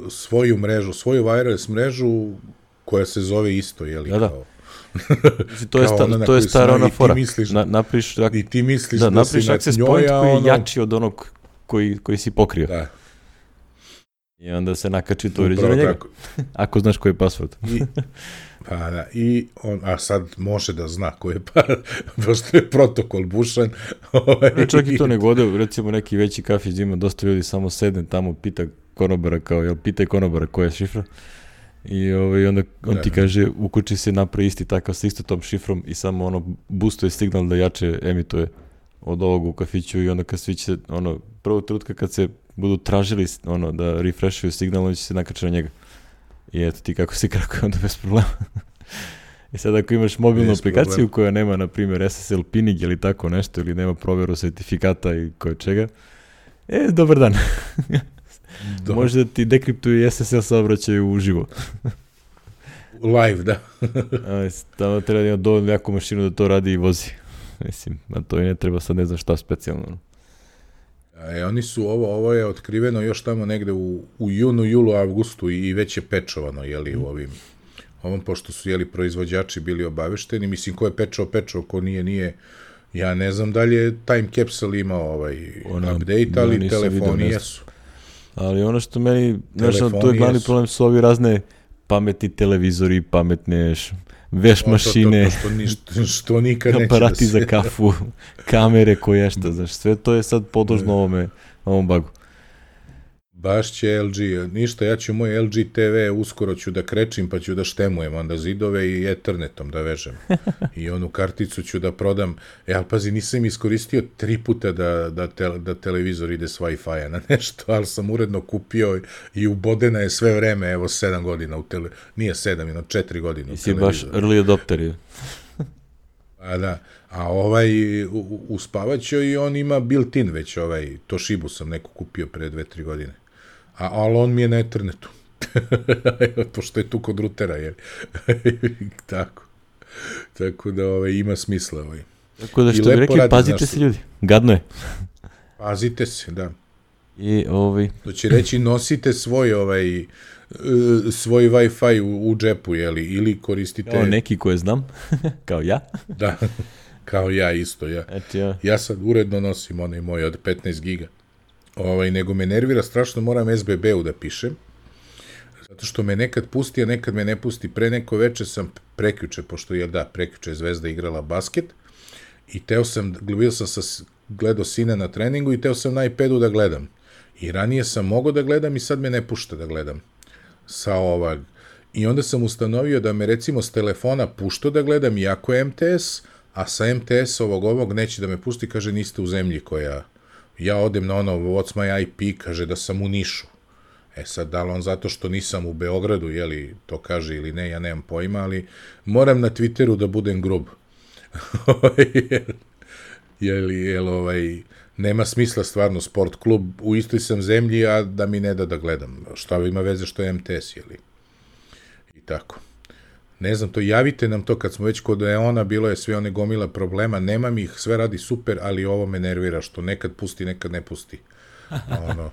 svoju mrežu, svoju wireless mrežu koja se zove isto, je li? Da, da. Kao... to je, sta, to je stara ona fora. Misliš, na, napriš, ak... I ti misliš da, da, da si na access njoj, point koji je ono... jači od onog koji, koji si pokrio. Da. I onda se nakači to uređenje njega. Ako znaš koji je password. I, pa da, i on, a sad može da zna koji je pa, pošto je protokol bušan. Ne, čak i to ne gode, recimo neki veći kafić ima dosta ljudi, samo sedne tamo, pita konobara kao, jel, pitaj konobara koja je šifra. I ovaj, onda on da. ti kaže, ukući se napravi isti takav sa isto tom šifrom i samo ono boostuje signal da jače emituje od ovog u kafiću i onda kad svi će, ono, prvo trenutka kad se budu tražili ono, da refreshuju signal, on će se nakače na njega. I eto ti kako si krakuje, onda bez problema. I sad ako imaš mobilnu bez aplikaciju problem. koja nema, na primjer, S S L pinning ili tako nešto, ili nema provjeru sertifikata i koje čega, e, dobar dan. Može da ti dekriptuju S S L saobraćaju uživo. Live, da. Tamo treba da ima dovoljno jaku mašinu da to radi i vozi. Mislim, a to i ne treba sad ne znam šta specijalno. E, oni su, ovo, ovo je otkriveno još tamo negde u, u junu, julu, avgustu i već je pečovano, jeli, u ovim, ovom, pošto su, jeli, proizvođači bili obavešteni, mislim, ko je pečao, pečao, ko nije, nije, ja ne znam da li je Time Capsule imao ovaj Ona, update, ali da, telefoni vidio, jesu. Ali ono što meni, znaš, tu je glavni problem su ovi razne pametni televizori, pametne veš mašine, to, to, to, to što, što nikad neće aparati da se... za kafu, kamere koje šta, znaš, sve to je sad podložno ovome, ovom bagu. Baš će L G, ništa, ja ću moj L G T V, uskoro ću da krečim, pa ću da štemujem onda zidove i ethernetom da vežem. I onu karticu ću da prodam. E, ali pazi, nisam iskoristio tri puta da, da, te, da televizor ide s Wi-Fi-a na nešto, ali sam uredno kupio i ubodena je sve vreme, evo, sedam godina u tele... Nije sedam, ino četiri godine u televizoru. I si baš early adopter je. A da, a ovaj u, u spavaćoj i on ima built-in već, ovaj, Toshibu sam neku kupio pre dve, tri godine. A, ali on mi je na ethernetu. Pošto je tu kod rutera, jer tako. Tako da ovaj, ima smisla. Ovaj. Tako da što bi rekli, radi, pazite znaš, se ljudi. Gadno je. Pazite se, da. I ovaj... To će reći, nosite svoj ovaj svoj Wi-Fi u, u džepu, jeli, ili koristite... Kao neki koje znam, kao ja. Da, kao ja isto, ja. Eto ja. Ja sad uredno nosim onaj moj od petnaest giga. Ovaj, nego me nervira strašno, moram S B B-u da pišem, zato što me nekad pusti, a nekad me ne pusti. Pre neko veče sam prekjuče, pošto je, da, prekjuče Zvezda igrala basket, i teo sam, bio sam sa, gledao sina na treningu i teo sam na iPadu da gledam. I ranije sam mogao da gledam i sad me ne pušta da gledam. Sa ovog. I onda sam ustanovio da me recimo s telefona pušta da gledam, iako je M T S, a sa M T S ovog ovog neće da me pusti, kaže niste u zemlji koja... Ja odem na ono, what's my I P, kaže da sam u Nišu. E sad, da li on zato što nisam u Beogradu, jeli, to kaže ili ne, ja nemam pojma, ali moram na Twitteru da budem grub. Jel, jel, ovaj, nema smisla stvarno sport klub, u istoj sam zemlji, a da mi ne da da gledam. Šta ima veze što je M T S, jeli? I tako. Ne znam, to javite nam to kad smo već kod Eona, bilo je sve one gomila problema, nemam ih, sve radi super, ali ovo me nervira, što nekad pusti, nekad ne pusti. Ono,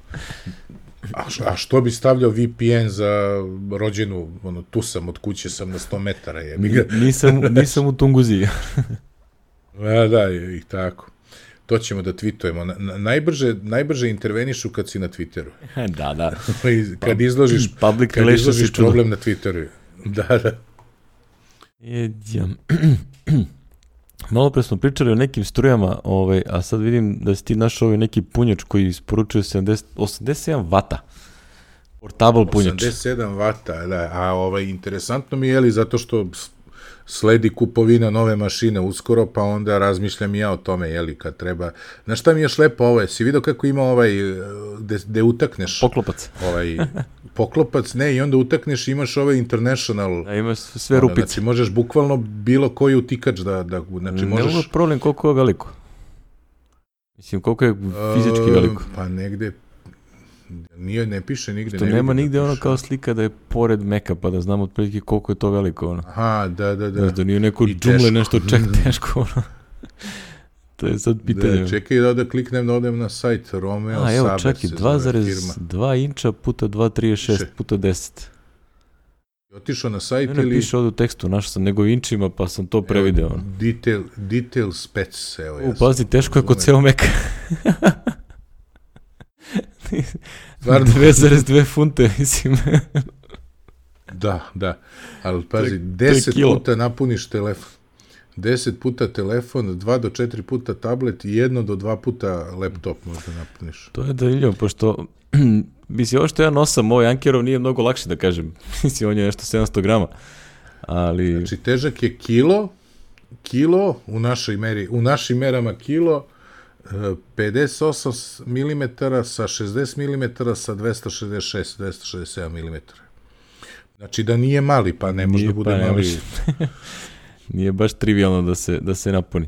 a, a što bi stavljao V P N za rođenu, ono, tu sam, od kuće sam na sto metara. Je. nisam, nisam u Tunguziji. A, da, i tako. To ćemo da tweetujemo. Na, najbrže, najbrže intervenišu kad si na Twitteru. Da, da. Kad izložiš, kad izložiš problem na Twitteru. Da, da. Jedjam. Malo pre smo pričali o nekim strujama, ovaj, a sad vidim da si ti našao ovaj neki punjač koji isporučuje sedamdeset, osamdeset sedam vata. Portable punjač. osamdeset sedam vata, da. A ovaj, interesantno mi je, li, zato što sledi kupovina nove mašine uskoro, pa onda razmišljam i ja o tome, jeli, kad treba. Znaš šta mi je šlepo ovo? Si vidio kako ima ovaj, gde utakneš? Poklopac. Ovaj, poklopac, ne, i onda utakneš i imaš ovaj international. A imaš sve rupice. Znači, možeš bukvalno bilo koji utikač da, da znači, možeš... Ne mogu problem koliko je veliko. Mislim, koliko je fizički veliko. Pa negde, nije, ne piše nigde. Što ne nema nigde da ono kao slika da je pored meka, pa da znamo otprilike koliko je to veliko. Ono. Aha, da, da, da. Znaš, da nije neko džumle nešto ček teško. Ono. To je sad pitanje. Da, čekaj da, da kliknem da odem na sajt Romeo Saber. A, evo, čekaj, dva zarez dva inča puta dva zarez trideset šest puta deset. Otišao na sajt ne, ne, ili... piše ovdje u tekstu, našao sam nego inčima, pa sam to prevideo. Evo, detail, detail specs, evo. U, pazi, teško je kod ceo meka. dve zarez dve funte, mislim. Da, da, ali pazi, deset puta napuniš telefon. deset puta telefon, dva do četiri puta tablet i jedno do dva puta laptop možda napuniš. To je zanimljivo, pošto mislim, ovo što ja nosam, ovaj Ankerov nije mnogo lakše da kažem. Mislim, on je nešto sedamsto grama. Ali... Znači, težak je kilo, kilo, u našoj meri, u našim merama kilo, pedeset osam milimetara sa šezdeset milimetara sa dvesta šezdeset šest do dvesta šezdeset sedam milimetara. Znači da nije mali, pa ne može da bude pa, mali. Nije baš trivialno da se, da se napuni.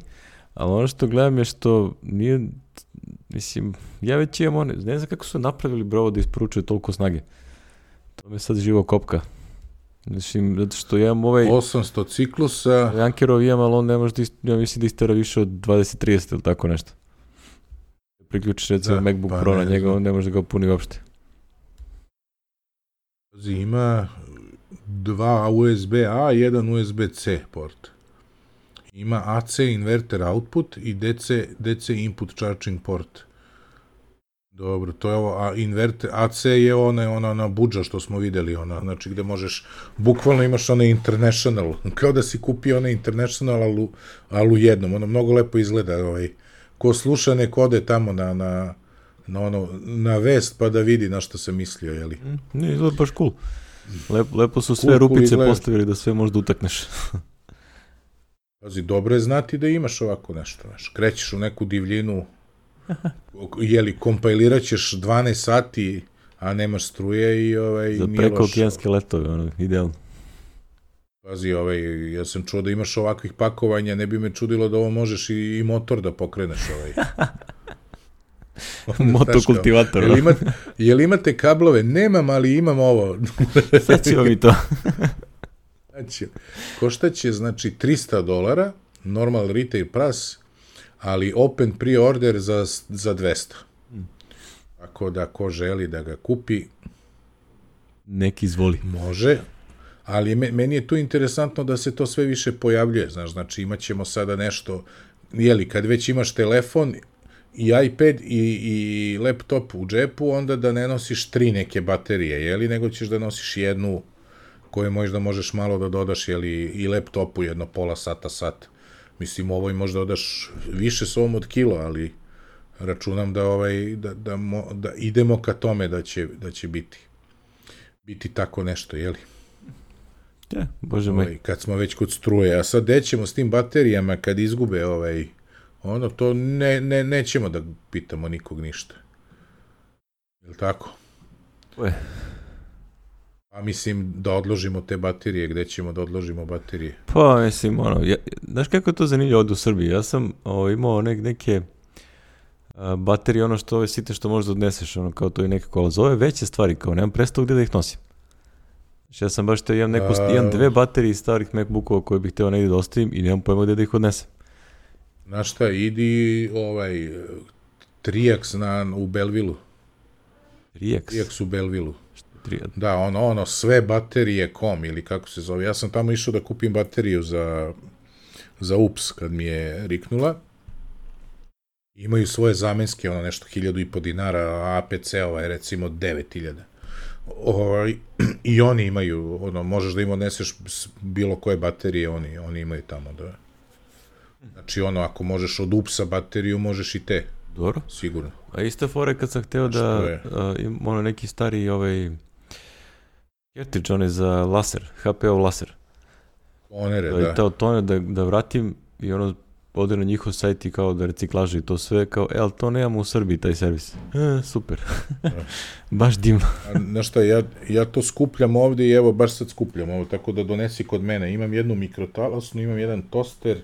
Ali ono što gledam je što nije, mislim, ja već imam one, ne znam kako su napravili brovo da isporučuje toliko snage. To me sad živo kopka. Mislim, zato što ja imam ovaj... osamsto ciklusa. Ankerov imam, ali on ne može da, ja mislim da istera više od dvadeset trideset ili tako nešto. Priključiš recimo da, MacBook pa Pro ne, na njega, on ne može da ga puni uopšte. Ima dva U S B A i jedan U S B C port. Ima A C inverter output i D C, D C input charging port. Dobro, to je ovo, a inverter, A C je ona, ona, ona budža što smo videli, ona, znači gde možeš, bukvalno imaš onaj international, kao da si kupio onaj international, ali, ali u jednom, ono mnogo lepo izgleda, ovaj, ko sluša nek ode tamo na, na, na, ono, na vest pa da vidi na što se mislio, jeli? Mm, ne, izgleda baš cool. Lep, lepo su sve cool, rupice cool postavili da sve možda utakneš. Pazi, dobro je znati da imaš ovako nešto, znaš, krećeš u neku divljinu, jeli, kompajlirat ćeš dvanaest sati, a nemaš struje i ovaj... Za preko okeanske letove, ono, idealno. Pazi, ovaj, ja sam čuo da imaš ovakvih pakovanja, ne bi me čudilo da ovo možeš i, i motor da pokreneš, ovaj. Motokultivator. Jel, ima, jel imate kablove? Nemam, ali imam ovo. Sad ćemo mi to. Znači, koštaće, znači, trista dolara, normal retail price, ali open pre-order za, za dvesta. Tako da, ko želi da ga kupi, neki izvoli. Može, ali meni je tu interesantno da se to sve više pojavljuje, znaš, znači imat ćemo sada nešto, jeli, kad već imaš telefon i iPad i, i laptop u džepu, onda da ne nosiš tri neke baterije, jeli, nego ćeš da nosiš jednu koju možda možeš malo da dodaš, jeli, i laptopu jedno pola sata, sat. Mislim, ovoj možda dodaš više s ovom od kilo, ali računam da, ovaj, da, da, mo, da idemo ka tome da će, da će biti. Biti tako nešto, jeli? Ja, bože moj. Ovaj, kad smo već kod struje, a sad gde ćemo s tim baterijama kad izgube ovaj, ono, to ne, ne, nećemo da pitamo nikog ništa. Je li tako? Ue. A mislim da odložimo te baterije, gde ćemo da odložimo baterije? Pa, mislim, ono, ja, znaš kako je to zanimljivo ovdje u Srbiji? Ja sam o, imao nek, neke a, baterije, ono što ove site što možda odneseš, ono, kao to je neka kola. Za ove veće stvari, kao nemam predstavu gdje da ih nosim. Znači, ja sam baš te, imam, neko, A, imam dve baterije starih MacBookova koje bih htio negdje da ostavim i nemam pojma gdje da ih odnesem. Znaš šta, idi ovaj Triax na, u Belvilu. Triax? Triax u Belvilu. Tri... Da, ono, ono, sve baterije kom ili kako se zove. Ja sam tamo išao da kupim bateriju za, za U P S kad mi je riknula. Imaju svoje zamenske, ono nešto hiljadu i po dinara, a A P C-ova je recimo devet hiljada. Ovaj, i oni imaju, ono, možeš da im odneseš bilo koje baterije, oni, oni imaju tamo, da. Znači, ono, ako možeš od U P S-a bateriju, možeš i te. Dobro. Sigurno. A iste fore kad sam hteo da, uh, im, ono, neki stari, ovaj, cartridge, onaj za laser, H P-ov laser. Tonere, da. da. I teo toner da, da vratim i ono, ode na njihov sajt i kao da reciklaže i to sve, kao, e, ali to nemamo u Srbiji, taj servis. E, super. Baš divno. Znaš šta, ja, ja to skupljam ovdje i evo, baš sad skupljam ovo, tako da donesi kod mene. Imam jednu mikrotalasnu, imam jedan toster,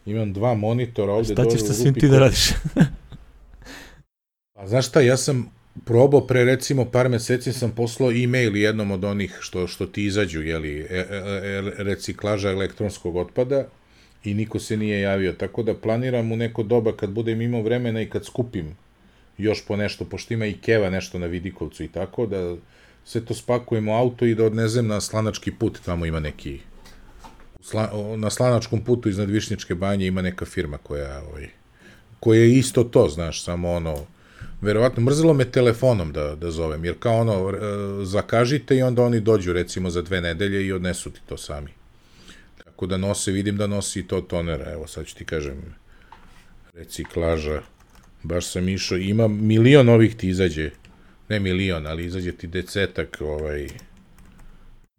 imam dva monitora ovdje. Šta ćeš sa svim ti da radiš? A znaš šta, ja sam probao pre recimo par meseci sam poslao e-mail jednom od onih što, što ti izađu, jeli, e, e, e, reciklaža elektronskog otpada i niko se nije javio, tako da planiram u neko doba kad budem imao vremena i kad skupim još po nešto, pošto ima i Keva nešto na Vidikovcu i tako, da sve to spakujem u auto i da odnezem na Slanački put, tamo ima neki, na Slanačkom putu iznad Višnjičke banje ima neka firma koja, ovaj, koja je isto to, znaš, samo ono, verovatno, mrzelo me telefonom da, da zovem, jer kao ono, zakažite i onda oni dođu recimo za dve nedelje i odnesu ti to sami. Tako da nose, vidim da nosi i to tonera, evo sad ću ti kažem, reciklaža, baš sam išao, ima milion ovih ti izađe, ne milion, ali izađe ti desetak, ovaj,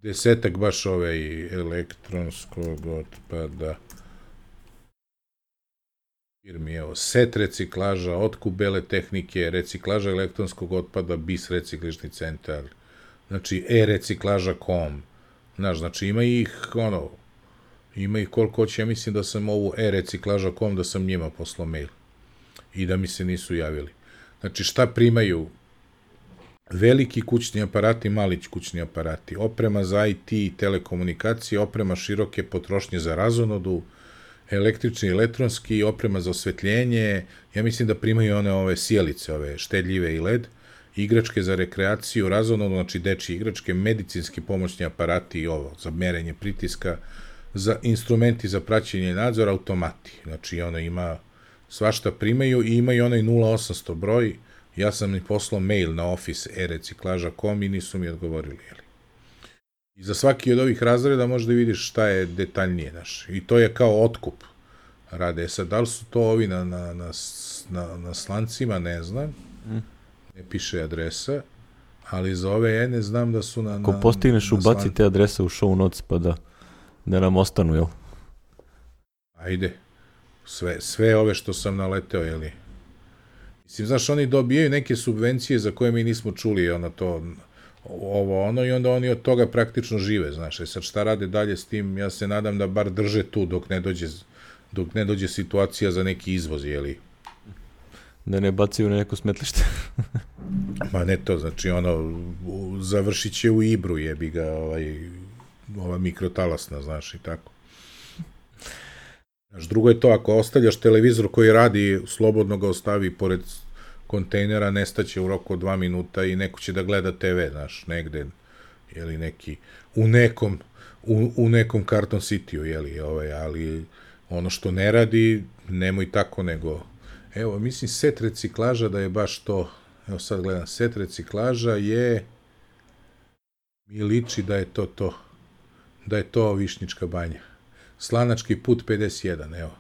desetak baš ovaj elektronskog otpada, firmi, evo, set reciklaža, otkup bele tehnike, reciklaža elektronskog otpada, B I S recikližni centar, znači e-reciklaža točka com, znaš, znači ima ih, ono, ima ih koliko hoće, ja mislim da sam ovu e-reciklaža točka com, da sam njima poslao mail i da mi se nisu javili. Znači, šta primaju? Veliki kućni aparati, mali kućni aparati, oprema za I T i telekomunikacije, oprema široke potrošnje za razonodu, električni i elektronski, oprema za osvetljenje, ja mislim da primaju one ove sjelice, ove štedljive i L E D, igračke za rekreaciju, razonodu, znači dečje igračke, medicinski pomoćni aparati i ovo, za merenje pritiska, za instrumenti za praćenje i nadzor, automati. Znači, ono ima, svašta primaju i imaju onaj nula osamsto broj, ja sam im poslao mail na office e-reciklaža točka com i nisu mi odgovorili, jeli. I za svaki od ovih razreda možda vidiš šta je detaljnije, znaš. I to je kao otkup rade. Sad, da li su to ovi na, na, na, na, na slancima, ne znam. Ne piše adresa, ali za ove ja ne znam da su na... Ako na, postigneš, na ubaci slan... te adrese u show notes pa da, da nam ostanu, jel? Ajde. Sve, sve ove što sam naleteo, jeli. Mislim, znaš, oni dobijaju neke subvencije za koje mi nismo čuli, ono to... ovo ono i onda oni od toga praktično žive, znaš, i sad šta rade dalje s tim, ja se nadam da bar drže tu dok ne dođe, dok ne dođe situacija za neki izvoz, jeli? Da ne bacaju na neko smetlište. Ma ne to, znači ono, završit će u Ibru, jebi ga, ovaj, ova mikrotalasna, znaš, i tako. Znaš, drugo je to, ako ostavljaš televizor koji radi, slobodno ga ostavi pored kontejnera, nestaće u roku od dva minuta i neko će da gleda te ve, znaš, negde, jeli, neki, u nekom, u, u nekom Carton City-u, jeli, ovaj, ali ono što ne radi, nemoj tako, nego, evo, mislim, set reciklaža da je baš to, evo sad gledam, set reciklaža je, mi liči da je to to, da je to Višnjička banja. Slanački put pedeset jedan, evo,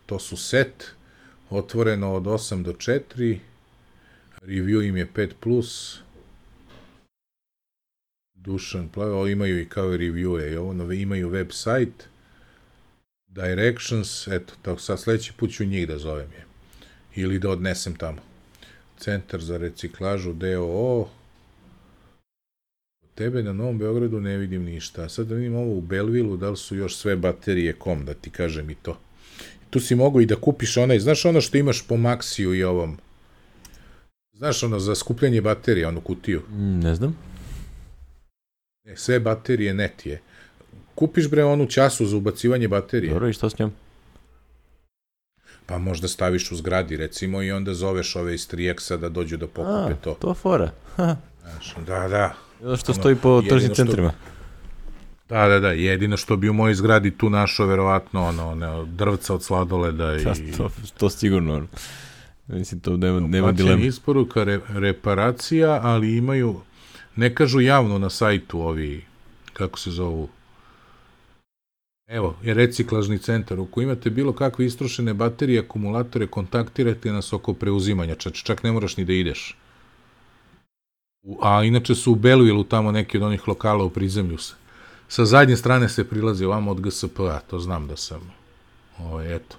to su set, otvoreno od osam do četiri, review im je pet plus, Dušan Plavo, imaju i kao review-e, ovo, imaju website, directions, eto, tako sad sledeći put ću njih da zovem je, ili da odnesem tamo. Centar za reciklažu D O O, tebe na Novom Beogradu ne vidim ništa. A sad da vidim ovo u Belvilu, da li su još sve baterije kom, da ti kažem i to. Tu si mogu i da kupiš onaj, znaš ono što imaš po Maxiju i ovom, znaš ono za skupljanje baterija, onu kutiju? Mm, ne znam. Ne, sve baterije net je. Kupiš bre onu času za ubacivanje baterije. Dobro, i šta s njom? Pa možda staviš u zgradi, recimo, i onda zoveš ove iz tri eksa da dođu da pokupe A, to. to fora. Znaš, da, da. Zato što stoji po tržnim centrima. Da, da, da, jedino što bi u mojoj zgradi tu našao, verovatno, ono, ono, drvca od sladoleda i... Da, to, to sigurno, ono. Mislim, to nema, nema Plaćen dilema. isporuka, re, reparacija, ali imaju, ne kažu javno na sajtu ovi, kako se zovu, evo, je reciklažni centar, ako imate bilo kakve istrošene baterije, akumulatore, kontaktirajte nas oko preuzimanja, čak, čak ne moraš ni da ideš. U, a inače su u Belvilu tamo neki od onih lokala u prizemlju se. Sa zadnje strane se prilazi ovamo od G S P A, to znam da sam, ovo, eto.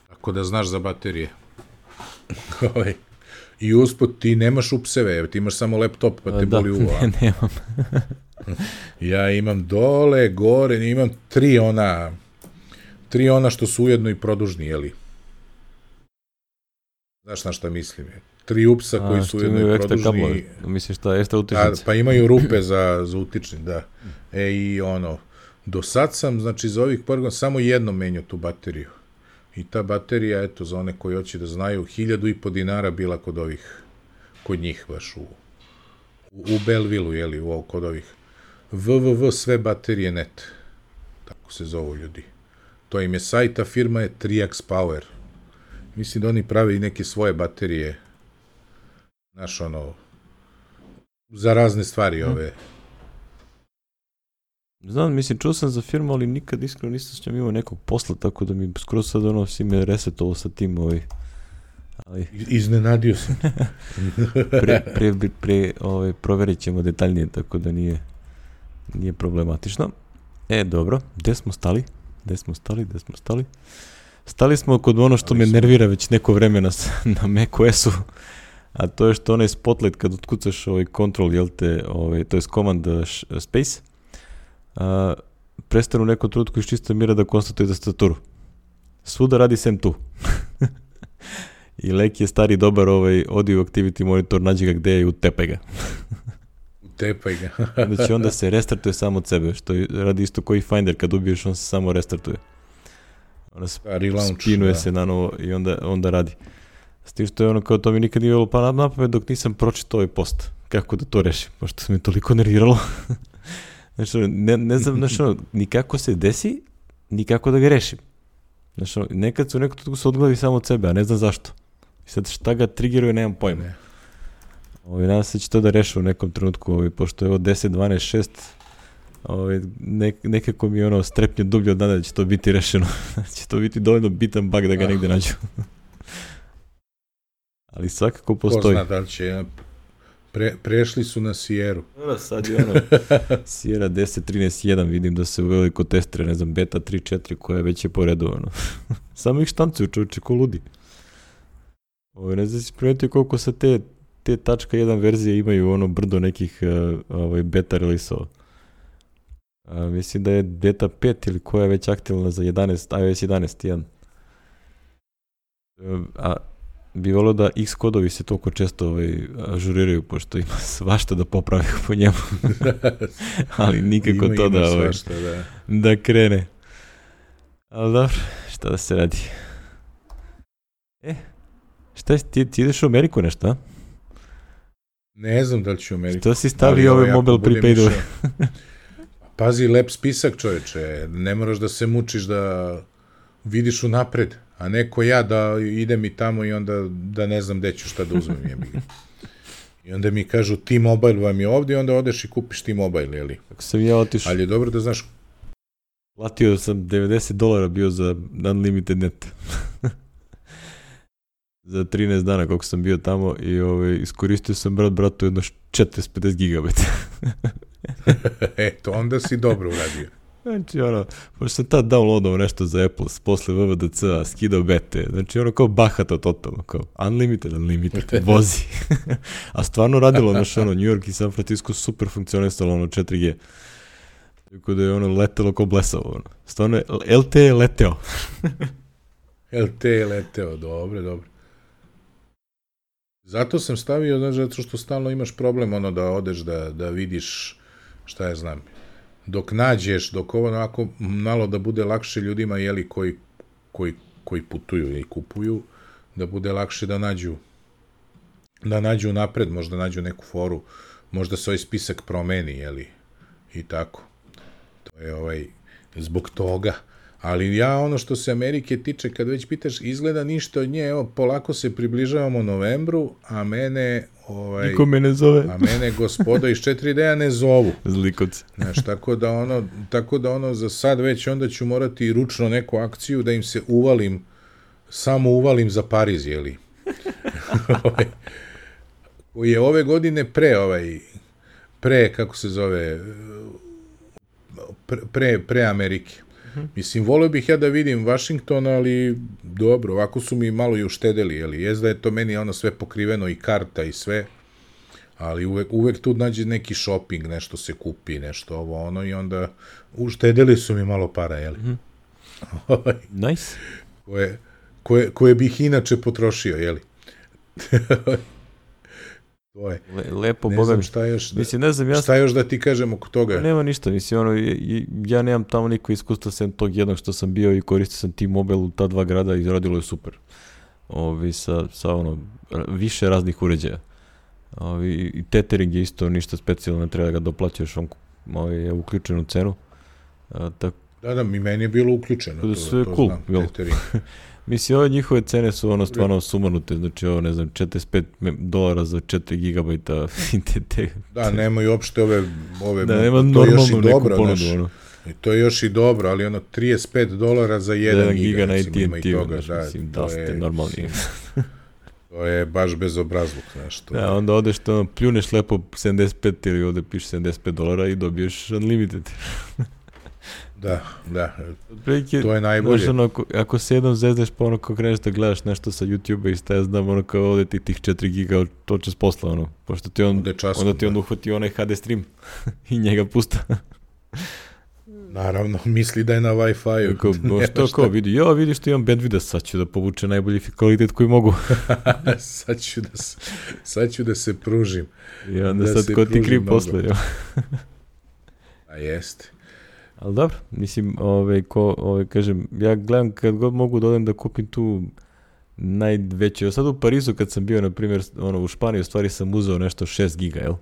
Tako da znaš za baterije. Ovaj. I usput ti nemaš upseve, ti imaš samo laptop pa te Da, boli uvo. ne, nemam. Ja imam dole, gore, imam tri ona, tri ona što su ujedno i produžni, jeli? Znaš na šta mislim? Tri upsa A, koji su što ujedno imaju i ekstra produžni. kablove. Misliš šta, ekstra A, utičnice? pa imaju rupe za, za utični, da. E i ono, do sad sam, znači za ovih par godina, samo jednom menjao tu bateriju. I ta baterija, eto, za one koji hoće da znaju, hiljadu i po dinara bila kod ovih, kod njih baš u, u, u Belvilu, jeli, u, kod ovih. w w w tačka sve baterije tačka net. Tako se zovu ljudi. To im je sajt, a firma je tri eks Power. Mislim da oni prave i neke svoje baterije. Znaš, ono, za razne stvari ove. Znam, mislim, čuo sam za firmu, ali nikad iskreno nisam s njom imao nekog posla, tako da mi skoro sad ono si me resetovalo sa tim, ovaj, ali... Iznenadio sam. pre, pre, pre, pre ovaj, proverit ćemo detaljnije, tako da nije, nije problematično. E, dobro, gde smo stali? Gde smo stali, gde smo stali? Stali smo kod ono što me nervira već neko vremena na macOS-u, a to je što onaj spotlight kad otkucaš ovaj control, jel te, ovaj, to je command space, a, prestanu u nekom trenutku iz čista mira da konstatuje tastaturu. Svuda radi sem tu. I Lek je stari dobar ovaj audio activity monitor, nađi ga gde je i utepaj ga. Utepaj ga. Znači onda se restartuje samo od sebe, što radi isto koji Finder, kad ubiješ on se samo restartuje. Onda spinuje se na novo i onda, onda radi. S tim što je ono kao to mi nikad nije bilo pa na pamet dok nisam pročitao ovaj post. Kako da to rešim, pošto se mi toliko nerviralo. Znači, ne, ne znam, znači, ono, nikako se desi, nikako da ga rešim. Znači, ono, nekad se u nekom trenutku se odglavi samo od sebe, a ne znam zašto. I sad šta ga triggeruje, nemam pojma. Ne. Ovi, nadam se će to da rešu u nekom trenutku, ovi, pošto je ovo deset, dvanaest, šest, ovi, nek, nekako mi je ono strepnje dublje od nada da će to biti rešeno. će to biti dovoljno bitan bug da ga negde nađu. Ali svakako postoji. Ko zna da li će, pre, prešli su na Sierru. Dobro, sad je ono, Sierra deset trinaest jedan, vidim da se uveli kod testere, ne znam, beta tri četiri koja već je poredovano. Samo ih štancuju, čovječe, ko ludi. Ovo, ne znam si primetio koliko sa te, te tačka jedan verzije imaju ono brdo nekih uh, ovaj, beta release-ova. Uh, mislim da je beta pet ili koja je već aktivna za jedanaest, iOS jedanaest jedan. Uh, a bi volio da X kodovi se toliko često ovaj, ažuriraju, pošto ima svašta da popravi po njemu. Ali nikako ima, to ima da, svašta, ovaj, da. da krene. Ali dobro, šta da se radi. E, šta si, ti, ti ideš u Ameriku nešto, a? Ne znam da li ću u Ameriku. Što si stavio ove mobile prepaidove? Pazi, lep spisak, čovječe. Ne moraš da se mučiš da vidiš unapred, a neko ja da idem i tamo i onda da ne znam gde ću šta da uzmem. Jebi. I onda mi kažu T-Mobile vam je ovdje i onda odeš i kupiš T-Mobile, jeli? Kako sam ja otišao. Ali je dobro da znaš. Platio sam devedeset dolara bio za unlimited net. Za trinaest dana koliko sam bio tamo i ovaj, iskoristio sam brat bratu jedno četiristo pedeset gigabajta. Eto, onda si dobro uradio. Znači, ono, pošto sam tad downloadao nešto za Apple, posle V V D C-a, skidao bete, znači ono kao bahato totalno, kao unlimited, unlimited, vozi. A stvarno radilo, znači, ono, New York i San Francisco super funkcionisalo, ono, četiri G. Tako da je ono letelo kao blesavo, ono. Stvarno je, L T E je leteo. L T E je leteo, dobro, dobro. Zato sam stavio, znači, zato što stalno imaš problem, ono, da odeš, da, da vidiš, šta ja znam, dok nađeš, dok ovo onako malo da bude lakše ljudima, jeli, koji, koji, koji putuju i kupuju, da bude lakše da nađu, da nađu napred, možda nađu neku foru, možda se ovaj spisak promeni, jeli, i tako. To je ovaj, zbog toga. Ali ja, ono što se Amerike tiče, kad već pitaš, izgleda ništa od nje, evo, polako se približavamo novembru, a mene, ovaj... Niko me ne zove. A mene gospoda iz četiri D-a ne zovu. Zlikovci. Znaš, tako da ono, tako da ono, za sad već onda ću morati ručno neku akciju da im se uvalim, samo uvalim za Pariz, jeli. Koji je ove godine pre, ovaj, pre, kako se zove, pre, pre Amerike. Mislim, volio bih ja da vidim Washington, ali dobro, ovako su mi malo i uštedeli, jeli, jest da je to meni ono sve pokriveno i karta i sve, ali uvek, uvek tu nađe neki shopping, nešto se kupi, nešto ovo ono i onda uštedeli su mi malo para, jeli. Mm-hmm. Nice. Koje, koje, koje bih inače potrošio, jeli. To je. Le, lepo, ne boga znam mi. šta još da, mislim, ne znam, ja... šta još da ti kažem oko toga. Nema ništa, mislim, ono, ja nemam tamo niko iskustva sem tog jednog što sam bio i koristio sam T-Mobile u ta dva grada i radilo je super. Ovi, sa, sa ono, više raznih uređaja. Ovi, i tethering je isto ništa specijalno, ne treba da ga doplaćaš, on ovi, je uključen u cenu. A, tak... Da, da, mi meni je bilo uključeno. To, sve to cool, znam, tethering. Mislim, ove njihove cene su ono stvarno sumanute, znači ovo, ne znam, četrdeset pet dolara za četiri gigabajta. te, te, da, nemaju uopšte ove, ove da, nema normalnu neku ponudu, ono. I to je još i dobro, ali ono, trideset pet dolara za jedan giga, giga na recimo, ima i toga. Znaš, da, mislim, da ste normalni. To je baš bezobrazluk, znaš. To da, je... onda odeš to, pljuneš lepo sedamdeset pet ili ovde piše sedamdeset pet dolara i dobiješ unlimited. Da, da, Preke, to je najbolje. Znaš, ono, ako, ako se jednom zezneš, pa ono, kao kreneš da gledaš nešto sa YouTube-a i šta ja znam, ono, kao ovde ti tih četiri giga toče s posla, ono, pošto ti on, časkom, onda ti on uhvati onaj H D stream i njega pusta. Naravno, misli da je na Wi-Fi-u. Kao, no, što kao, vidi, ja vidiš što imam bandwidth, sad ću da povuče najbolji kvalitet koji mogu. sad, ću da se, sad ću da se pružim. I onda da sad ko ti kriv posle. A jeste. Ali dobro, mislim, ove, ko, ove, kažem, ja gledam kad god mogu da odem da kupim tu najveće. Sad u Parizu kad sam bio, na primjer, ono, u Španiji, u stvari sam uzeo nešto šest giga, jel?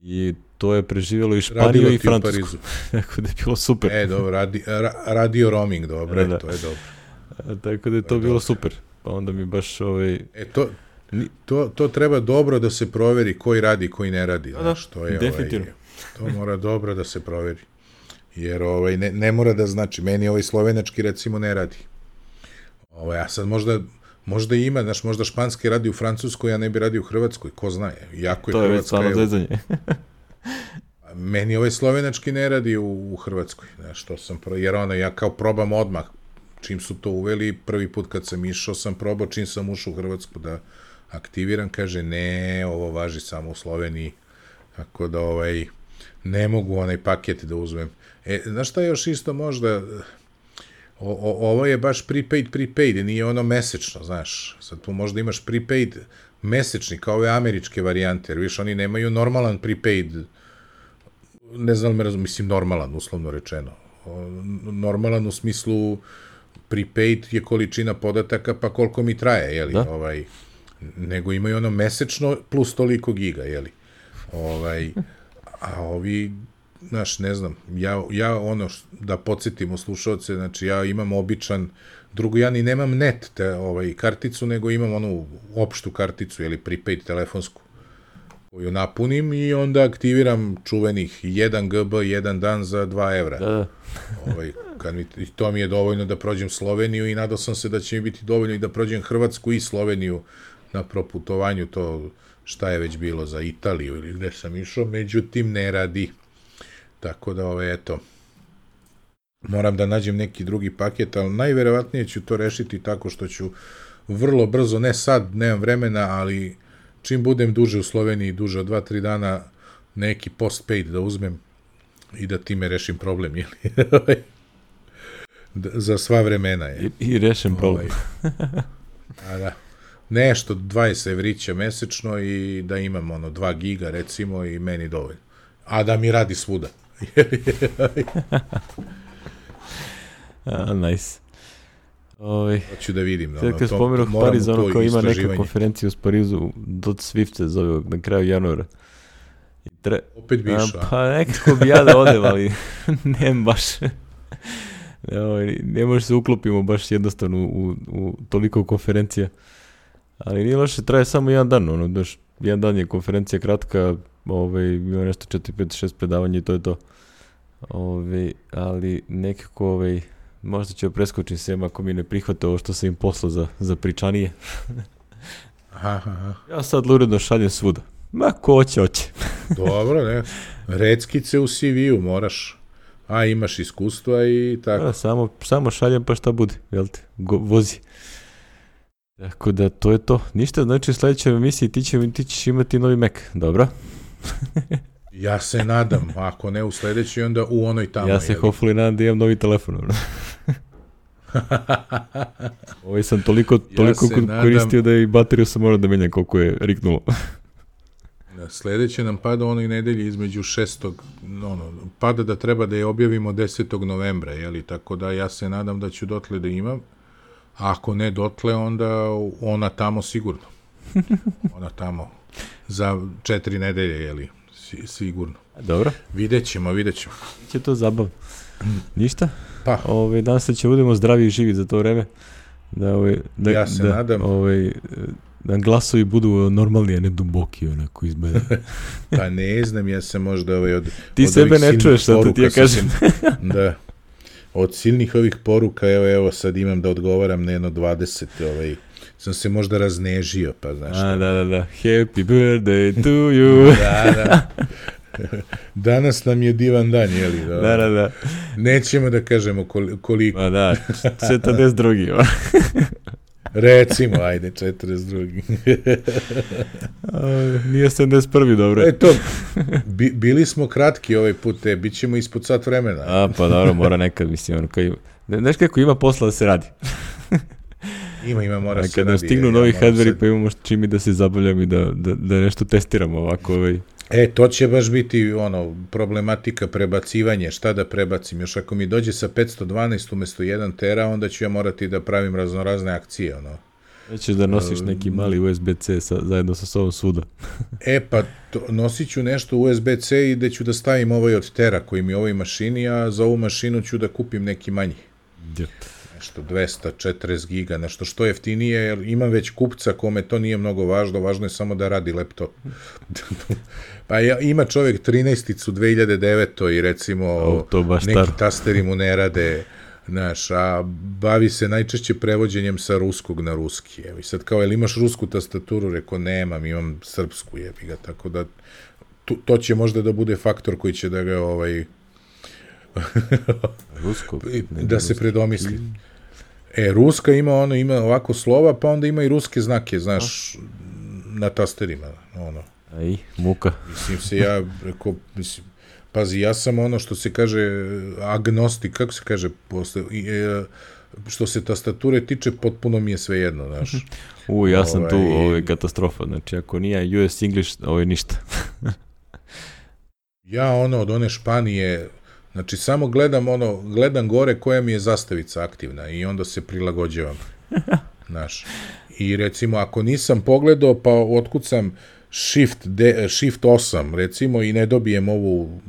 I to je preživjelo i Španiju i Francusku. Tako da je bilo super. E, dobro, radi, ra, radio roaming, dobro, da, da. To je dobro. A, tako da je to, to je bilo dobro. Super. Pa onda mi baš, ovaj... E, to, to, to treba dobro da se proveri koji radi, koji ne radi. Da, znaš, to je, definitivno. Ovaj, to mora dobro da se proveri. Jer ovaj, ne, ne mora da znači, meni ovaj slovenački recimo ne radi. Ovaj, a sad možda, možda ima, znaš, možda španski radi u Francuskoj, a ne bi radio u Hrvatskoj, ko zna, jako je to Hrvatska. To je već stvarno zezanje. Meni ovaj slovenački ne radi u, u Hrvatskoj, znaš, to sam, pro, jer ono, ja kao probam odmah, čim su to uveli, prvi put kad sam išao sam probao, čim sam ušao u Hrvatsku da aktiviram, kaže, ne, ovo važi samo u Sloveniji, tako da ovaj, ne mogu onaj paket da uzmem. E, znaš šta još isto možda, o, o, ovo je baš prepaid, prepaid, nije ono mesečno, znaš, sad tu možda imaš prepaid mesečni, kao ove američke varijante, jer viš, oni nemaju normalan prepaid, ne znam li me razum, mislim normalan, uslovno rečeno, o, normalan u smislu prepaid je količina podataka, pa koliko mi traje, jeli, da? Ovaj, nego imaju ono mesečno plus toliko giga, jeli, ovaj, a ovi, znaš, ne znam, ja, ja ono, da podsjetimo slušalce, znači ja imam običan, drugo, ja ni nemam net te, ovaj, karticu, nego imam onu opštu karticu, ili prepaid telefonsku, koju napunim i onda aktiviram čuvenih jedan gigabyte, jedan dan za dva evra. Da. Ovaj, kad mi, i to mi je dovoljno da prođem Sloveniju i nadao sam se da će mi biti dovoljno i da prođem Hrvatsku i Sloveniju na proputovanju, to šta je već bilo za Italiju ili gde sam išao, međutim ne radi. Tako da, ove, eto, moram da nađem neki drugi paket, ali najverovatnije ću to rešiti tako što ću vrlo brzo, ne sad, nemam vremena, ali čim budem duže u Sloveniji, duže od dva tri dana, neki postpaid da uzmem i da time rešim problem, jeli? Za sva vremena je. I, i rešim problem. A da. Nešto, dvadeset evrića mesečno i da imam ono dva giga recimo i meni dovoljno. A da mi radi svuda. A, nice. Oj. Hoću da vidim. Sad kad spomenuh Pariz, ono kao ima neka konferencija u Parizu, Dot Swift se zove na kraju januara. I tre... Opet bi išao. Pa nekako bi ja da odem, ali nem baš. Ne, ne može se uklopimo baš jednostavno u, u toliko konferencija. Ali nije loše, traje samo jedan dan. Ono, daš, jedan dan je konferencija kratka, ovaj, ima nešto četiri, pet, šest predavanja i to je to. Ovaj, ali nekako ovaj, možda ću preskočiti sem ako mi ne prihvate ovo što sam im poslao za, za pričanije. Aha, aha. Ja sad uredno šaljem svuda. Ma ko hoće, hoće. Dobro, ne. Reckice u C V-u moraš. A imaš iskustva i tako. Da, samo, samo šaljem pa šta bude, jel te, Go, vozi. Tako da to je to. Ništa, znači u sljedećoj emisiji ti, će, ti ćeš imati novi Mac, dobro? Ja se nadam, ako ne u sljedećoj, onda u onoj tamo. Ja se hopefully nadam da imam novi telefon. Ovaj sam toliko, toliko ja koristio da i bateriju sam morao da menjam koliko je riknulo. Sljedeće nam pada onoj nedelji između šestog ono, pada da treba da je objavimo desetog novembra, jeli, tako da ja se nadam da ću dotle da imam, a ako ne dotle, onda ona tamo sigurno. Ona tamo za četiri nedelje, jeli, sigurno. Dobro. Vidjet ćemo, vidjet ćemo. Će to zabav. Ništa? Pa. Ove, danas se će budemo zdravi i živi za to vreme. Da, ove, da, ja se da, nadam. Ove, da glasovi budu normalni, a ne duboki, onako izgleda. Pa ne znam, ja sam možda ovaj od... Ti od sebe ne čuješ, sad to ti ja kažem. Da. Od silnih ovih poruka, evo, evo, sad imam da odgovaram na jedno dvadeset, ovaj, sam se možda raznežio, pa znaš. A, da, da, da. Happy birthday to you. Da, da. Danas nam je divan dan, jeli? Da, da, da, da. Nećemo da kažemo koliko. Pa da, četrdeset drugi. Recimo, ajde, četrdeset drugi. Nije sedamdeset prvi, dobro. E to, bi, bili smo kratki ovaj put, e, bit ćemo ispod sat vremena. A, pa dobro, mora nekad, mislim, ono, kao, znaš kako ima posla da se radi. Ima, ima, mora se radi. Kad nam stignu novi hardveri, pa imamo čim i da se zabavljamo i da, da, da nešto testiramo ovako. Ovaj. E, to će baš biti ono, problematika prebacivanje, šta da prebacim. Još ako mi dođe sa petsto dvanaest umjesto jedan tera, onda ću ja morati da pravim raznorazne akcije, ono. Nećeš da nosiš neki mali U S B C sa, zajedno sa sobom svuda. E, pa to, nosit ću nešto U S B C i da ću da stavim ovaj od tera koji mi je u ovoj mašini, a za ovu mašinu ću da kupim neki manji. Yep. Nešto dvesta četrdeset giga, nešto što jeftinije, jer imam već kupca kome to nije mnogo važno, važno je samo da radi laptop. Pa ja, ima čovjek trinaesticu dve hiljade devete i recimo o, neki star. Tasteri mu ne rade, znaš, a bavi se najčešće prevođenjem sa ruskog na ruski. Evo, i sad kao, jel imaš rusku tastaturu? Rekao, nemam, imam srpsku, jebi ga, tako da to, to će možda da bude faktor koji će da ga ovaj rusko, da se predomisli. E, ruska ima ono, ima ovako slova, pa onda ima i ruske znake, znaš, a? Na tasterima, ono. Aj, muka. Mislim se, ja, rekao, mislim, pazi, ja sam ono što se kaže agnostik, kako se kaže, posle, e, što se tastature tiče, potpuno mi je sve jedno, znaš. U, ja sam ovaj, tu, ovo je katastrofa, znači, ako nije U S English, ovo je ništa. Ja, ono, od one Španije, znači, samo gledam, ono, gledam gore koja mi je zastavica aktivna i onda se prilagođavam, znaš. I, recimo, ako nisam pogledao, pa otkucam Shift, de, Shift osam, recimo, i ne dobijem ovu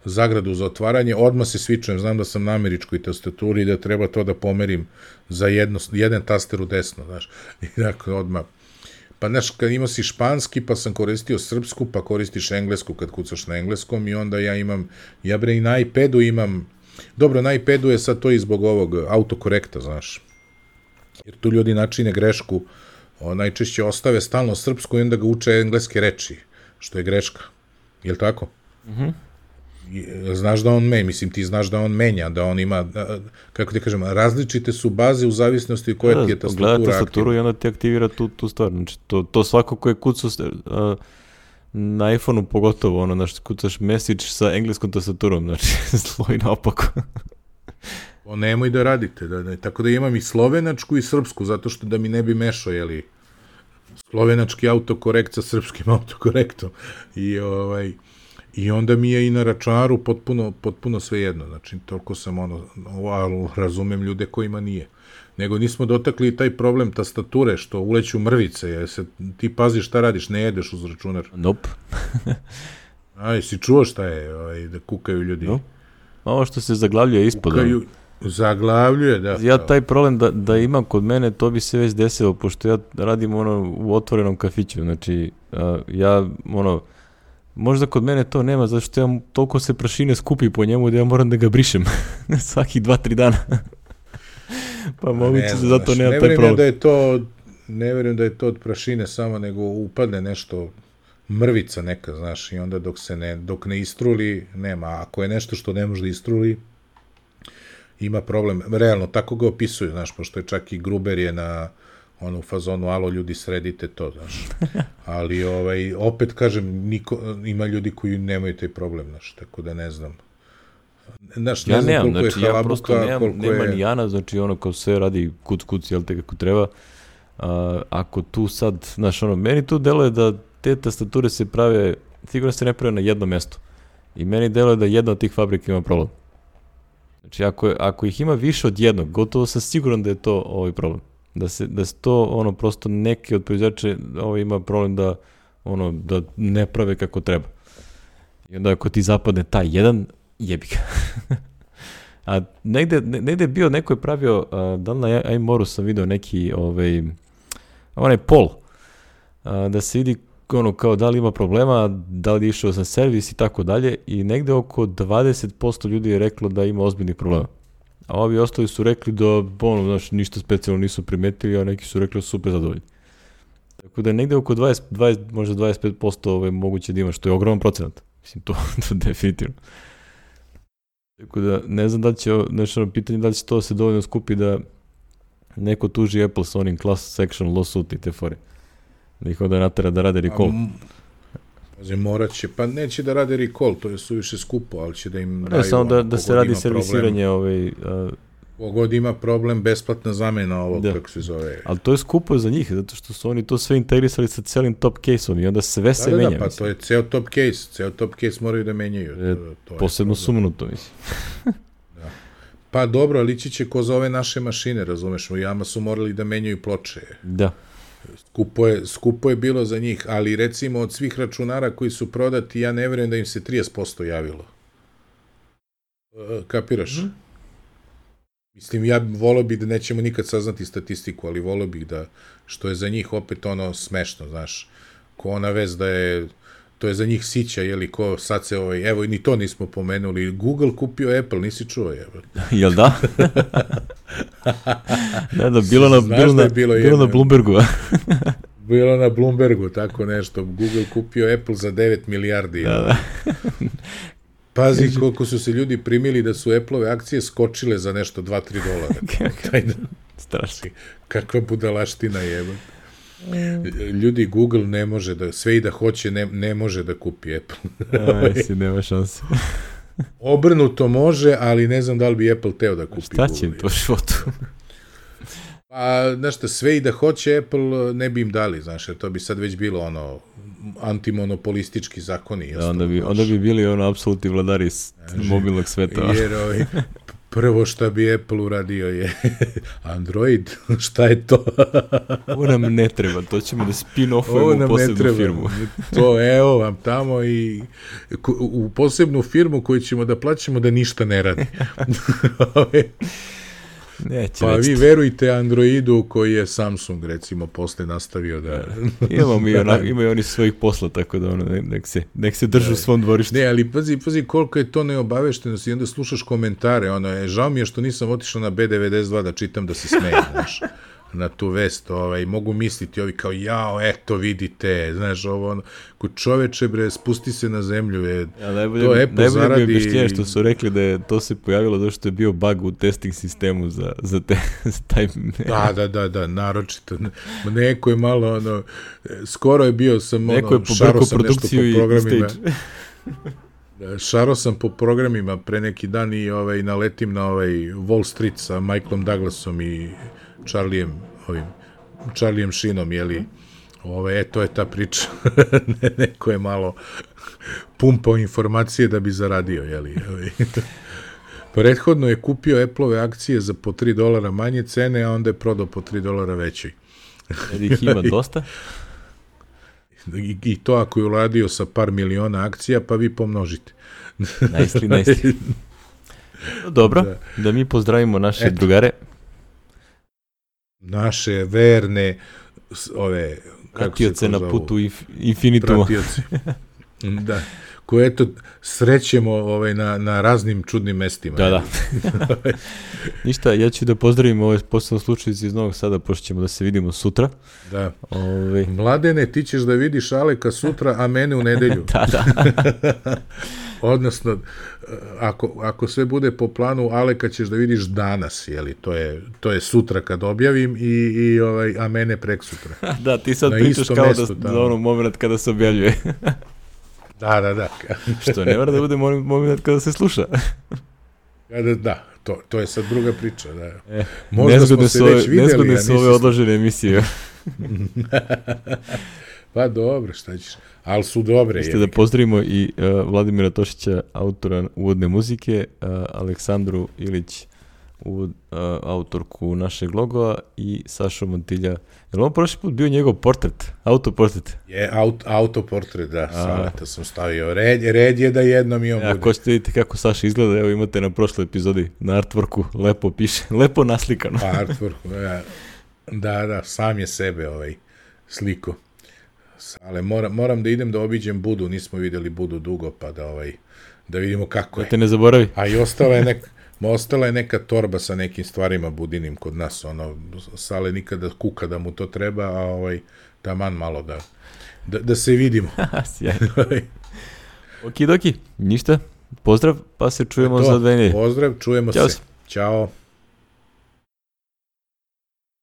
zagradu za otvaranje, odmah se svičujem, znam da sam na američkoj tastaturi i da treba to da pomerim za jedno, jedan taster u desno, znaš. I dakle, odmah. Pa, znaš, kad imao si španski, pa sam koristio srpsku, pa koristiš englesku kad kucaš na engleskom i onda ja imam, ja bre i na iPadu imam, dobro, na iPadu je sad to i zbog ovog autokorekta, znaš. Jer tu ljudi načine grešku, o, najčešće ostave stalno srpsku i onda ga uče engleske reči, što je greška. Je li tako? Mhm. znaš da on menja, mislim ti znaš da on menja, da on ima, kako ti kažem, različite su baze u zavisnosti koja da, ti je tastatura aktivna. Gleda tastaturu i onda ti aktivira tu, tu stvar. Znači, to, to svako ko je kucao uh, na iPhone-u pogotovo, ono, znaš, kucaš message sa engleskom tastaturom, znači, zlo i naopako. O, nemoj da radite, da, da, tako da imam i slovenačku i srpsku, zato što da mi ne bi mešao, jeli, slovenački autokorekt sa srpskim autokorektom. I, ovaj, i onda mi je i na računaru potpuno, potpuno sve jedno, znači, toliko sam ono, ali razumem ljude kojima nije. Nego nismo dotakli taj problem tastature, što uleću mrvice, jer se, ti paziš šta radiš, ne jedeš uz računar. Nope. A, jesi čuo šta je, ovaj, da kukaju ljudi? Nope. Ovo što se zaglavljuje ispod. Kukaju, zaglavljuje, da. Ja taj problem da, da imam kod mene, to bi se već desilo, pošto ja radim ono u otvorenom kafiću, znači a, ja ono, možda kod mene to nema, zato što ja toliko se prašine skupi po njemu da ja moram da ga brišem svakih dva, tri dana. Pa moguće se zato nema taj problem. Da je to, ne vjerujem da je to od prašine samo, nego upadne nešto, mrvica neka, znaš, i onda dok se ne, dok ne istruli, nema. Ako je nešto što ne može da istruli, ima problem. Realno, tako ga opisuju, znaš, pošto je čak i Gruber je na onu fazonu, alo, ljudi, sredite to, znaš. Ali, ovaj, opet, kažem, niko, ima ljudi koji nemaju taj problem, znaš, tako da ne znam. Znaš, ne ja znam nemam, koliko znači, je ja prosto nemam, nema je... ni Jana, znači ono kao sve radi kuc kuc, jel te kako treba. A, ako tu sad, znaš, ono, meni tu deluje da te tastature se prave, sigurno se ne prave na jedno mesto. I meni deluje da jedna od tih fabrika ima problem. Znači, ako, ako ih ima više od jednog, gotovo sam siguran da je to ovaj problem. Da se, da se to, ono, prosto neki od proizvođača ovaj, ima problem da, ono, da ne prave kako treba. I onda ako ti zapadne taj jedan, jebi ga. A negde, negde je bio, neko je pravio, a, da li na iMoru sam video neki, ovaj, onaj pol, a, da se vidi ono kao da li ima problema, da li je išao sam servis i tako dalje, i negde oko dvadeset posto ljudi je reklo da ima ozbiljnih problema. A ovi ostali su rekli da, ono, znaš, ništa specijalno nisu primetili, a neki su rekli da su super zadovoljni. Tako da je negde oko dvadeset, dvadeset, možda dvadeset pet posto ovaj, moguće da ima, što je ogroman procenat. Mislim, to, to definitivno. Tako da, ne znam da li će, nešto ono pitanje, da li će to se dovoljno skupi da neko tuži Apple sa onim class section lawsuit i te fore. Da ih onda natera da rade recall. Pazi, morat će, pa neće da rade recall, to je suviše skupo, ali će da im ne, daju... Samo da, da se radi servisiranje ovaj... Uh, Kogod ima problem, besplatna zamena ovog, da. Kako se zove. Ali to je skupo za njih, zato što su oni to sve integrisali sa celim top case-om i onda sve se da, menja. Da, pa mislim. To je ceo top case, ceo top case moraju da menjaju. E, to, to posebno sumnuto, mislim. Da. Pa dobro, ali ići će ko za ove naše mašine, razumeš, u jama su morali da menjaju ploče. Da. Skupo je, skupo je bilo za njih, ali recimo od svih računara koji su prodati, ja ne vjerujem da im se trideset posto javilo. Kapiraš? Mm. Mislim, ja volio bih da nećemo nikad saznati statistiku, ali volio bih da, što je za njih opet ono smešno, znaš, ko ona vez da je, to je za njih sića, jeli, ko sad se, ovaj, evo, ni to nismo pomenuli, Google kupio Apple, nisi čuo, evo. Jel da? Da, da, bilo na, bilo na, bilo bilo na Bloombergu. Bilo na Bloombergu, tako nešto, Google kupio Apple za devet milijardi. Da, da. Pazi koliko su se ljudi primili da su Apple-ove akcije skočile za nešto dva do tri dolara. Strašno. Kakva budalaština jeba. Ljudi, Google ne može da, sve i da hoće, ne, ne može da kupi Apple. Aj, si, nema šanse. Obrnuto može, ali ne znam da li bi Apple teo da kupi Šta Google. će im to životu? Pa, znaš šta, sve i da hoće Apple ne bi im dali, znaš, jer to bi sad već bilo ono antimonopolistički zakoni. Da, onda bi, onda bi bili ono apsolutni vladari s mobilnog sveta. Jer ovaj, prvo šta bi Apple uradio je Android, šta je to? Ovo nam ne treba, to ćemo da spin-offujemo u posebnu firmu. To, evo vam tamo i u posebnu firmu koju ćemo da plaćamo da ništa ne radi. Neće pa već vi verujte Androidu koji je Samsung recimo posle nastavio da... Imamo mi ona, imaju oni svojih posla, tako da ono, nek se, nek se držu u svom dvorištu. Ne, ali pazi, pazi koliko je to neobaveštenost i onda slušaš komentare, ono je, žao mi je što nisam otišao na B devedeset dva da čitam da se smejem, znaš. na tu vest, ovaj, mogu misliti ovi kao, jao, eto, vidite, znaš, ovo, ono, ko čoveče, bre, spusti se na zemlju, je, ja, najbolje, to Apple najbolje zaradi... Najbolje mi objašnjenje što su rekli da je to se pojavilo zato što je bio bug u testing sistemu za, za, te, za taj... Da, da, da, da, naročito. Neko je malo, ono, skoro je bio sam, ono, neko je šaro sam nešto po programima. Šaro sam po programima pre neki dan i ovaj, naletim na ovaj Wall Street sa Michaelom Douglasom i Charlieem, ovim, Charlieem Sheenom, jeli, ovaj, e, to je ta priča. Neko je malo pumpao informacije da bi zaradio, jeli. Prethodno je kupio Apple-ove akcije za po tri dolara manje cene, a onda je prodao po tri dolara većoj. Jer ih ima dosta? I, I to ako je uradio sa par miliona akcija, pa vi pomnožite. Najsli, najsli. Dobro, da. da mi pozdravimo naše Eto. drugare. Naše verne, ove... Pratioce na putu inf, infinituma. Pratioci. Da. Koje, eto, srećemo ovaj, na, na raznim čudnim mestima. Da, da. Ništa, ja ću da pozdravim ovaj posebno slučaj iz Novog Sada, pošto ćemo da se vidimo sutra. Da. Ove... Mladene, ti ćeš da vidiš Aleka sutra, a mene u nedelju. Da, da. Odnosno, ako, ako sve bude po planu, Aleka ćeš da vidiš danas, jeli, to je, to je sutra kad objavim, i, i ovaj, a mene prek sutra. Da, ti sad na pričaš kao mestu, da, za ono moment kada se objavljuje. Da, da, da. Što ne mora da bude moment kada se sluša. Kada, da, to, to je sad druga priča. Da. E, možda smo se ove, već videli. Nezgodne su ove odložene emisije. Pa dobro, šta ćeš. Ali su dobre. Ste da pozdravimo i uh, Vladimira Tošića, autora uvodne muzike, uh, Aleksandru Ilić, uvod, uh, autorku našeg logova, i Sašu Montilja. Je li on prošli put bio njegov portret? Autoportret? Je, aut, autoportret, da. Saleta sam stavio. Red, red je da jednom i on bude. Ako ćete vidjeti kako Saša izgleda, evo imate na prošloj epizodi, na artworku, lepo piše, lepo naslikano. Pa artworku, ja. Da, da, sam je sebe ovaj sliko. Ale moram, moram da idem da obiđem Budu, nismo vidjeli Budu dugo, pa da ovaj da vidimo kako je. Da te ne zaboravi. A i ostala je neka ostala je neka torba sa nekim stvarima Budinim kod nas, ono, Sale nikada kuka da mu to treba, a ovaj taman malo da da, da se vidimo. Sjajno. Okidoki, ništa. Pozdrav, pa se čujemo to, za dve nedelje. Pozdrav, čujemo Ćao. se. Ćao.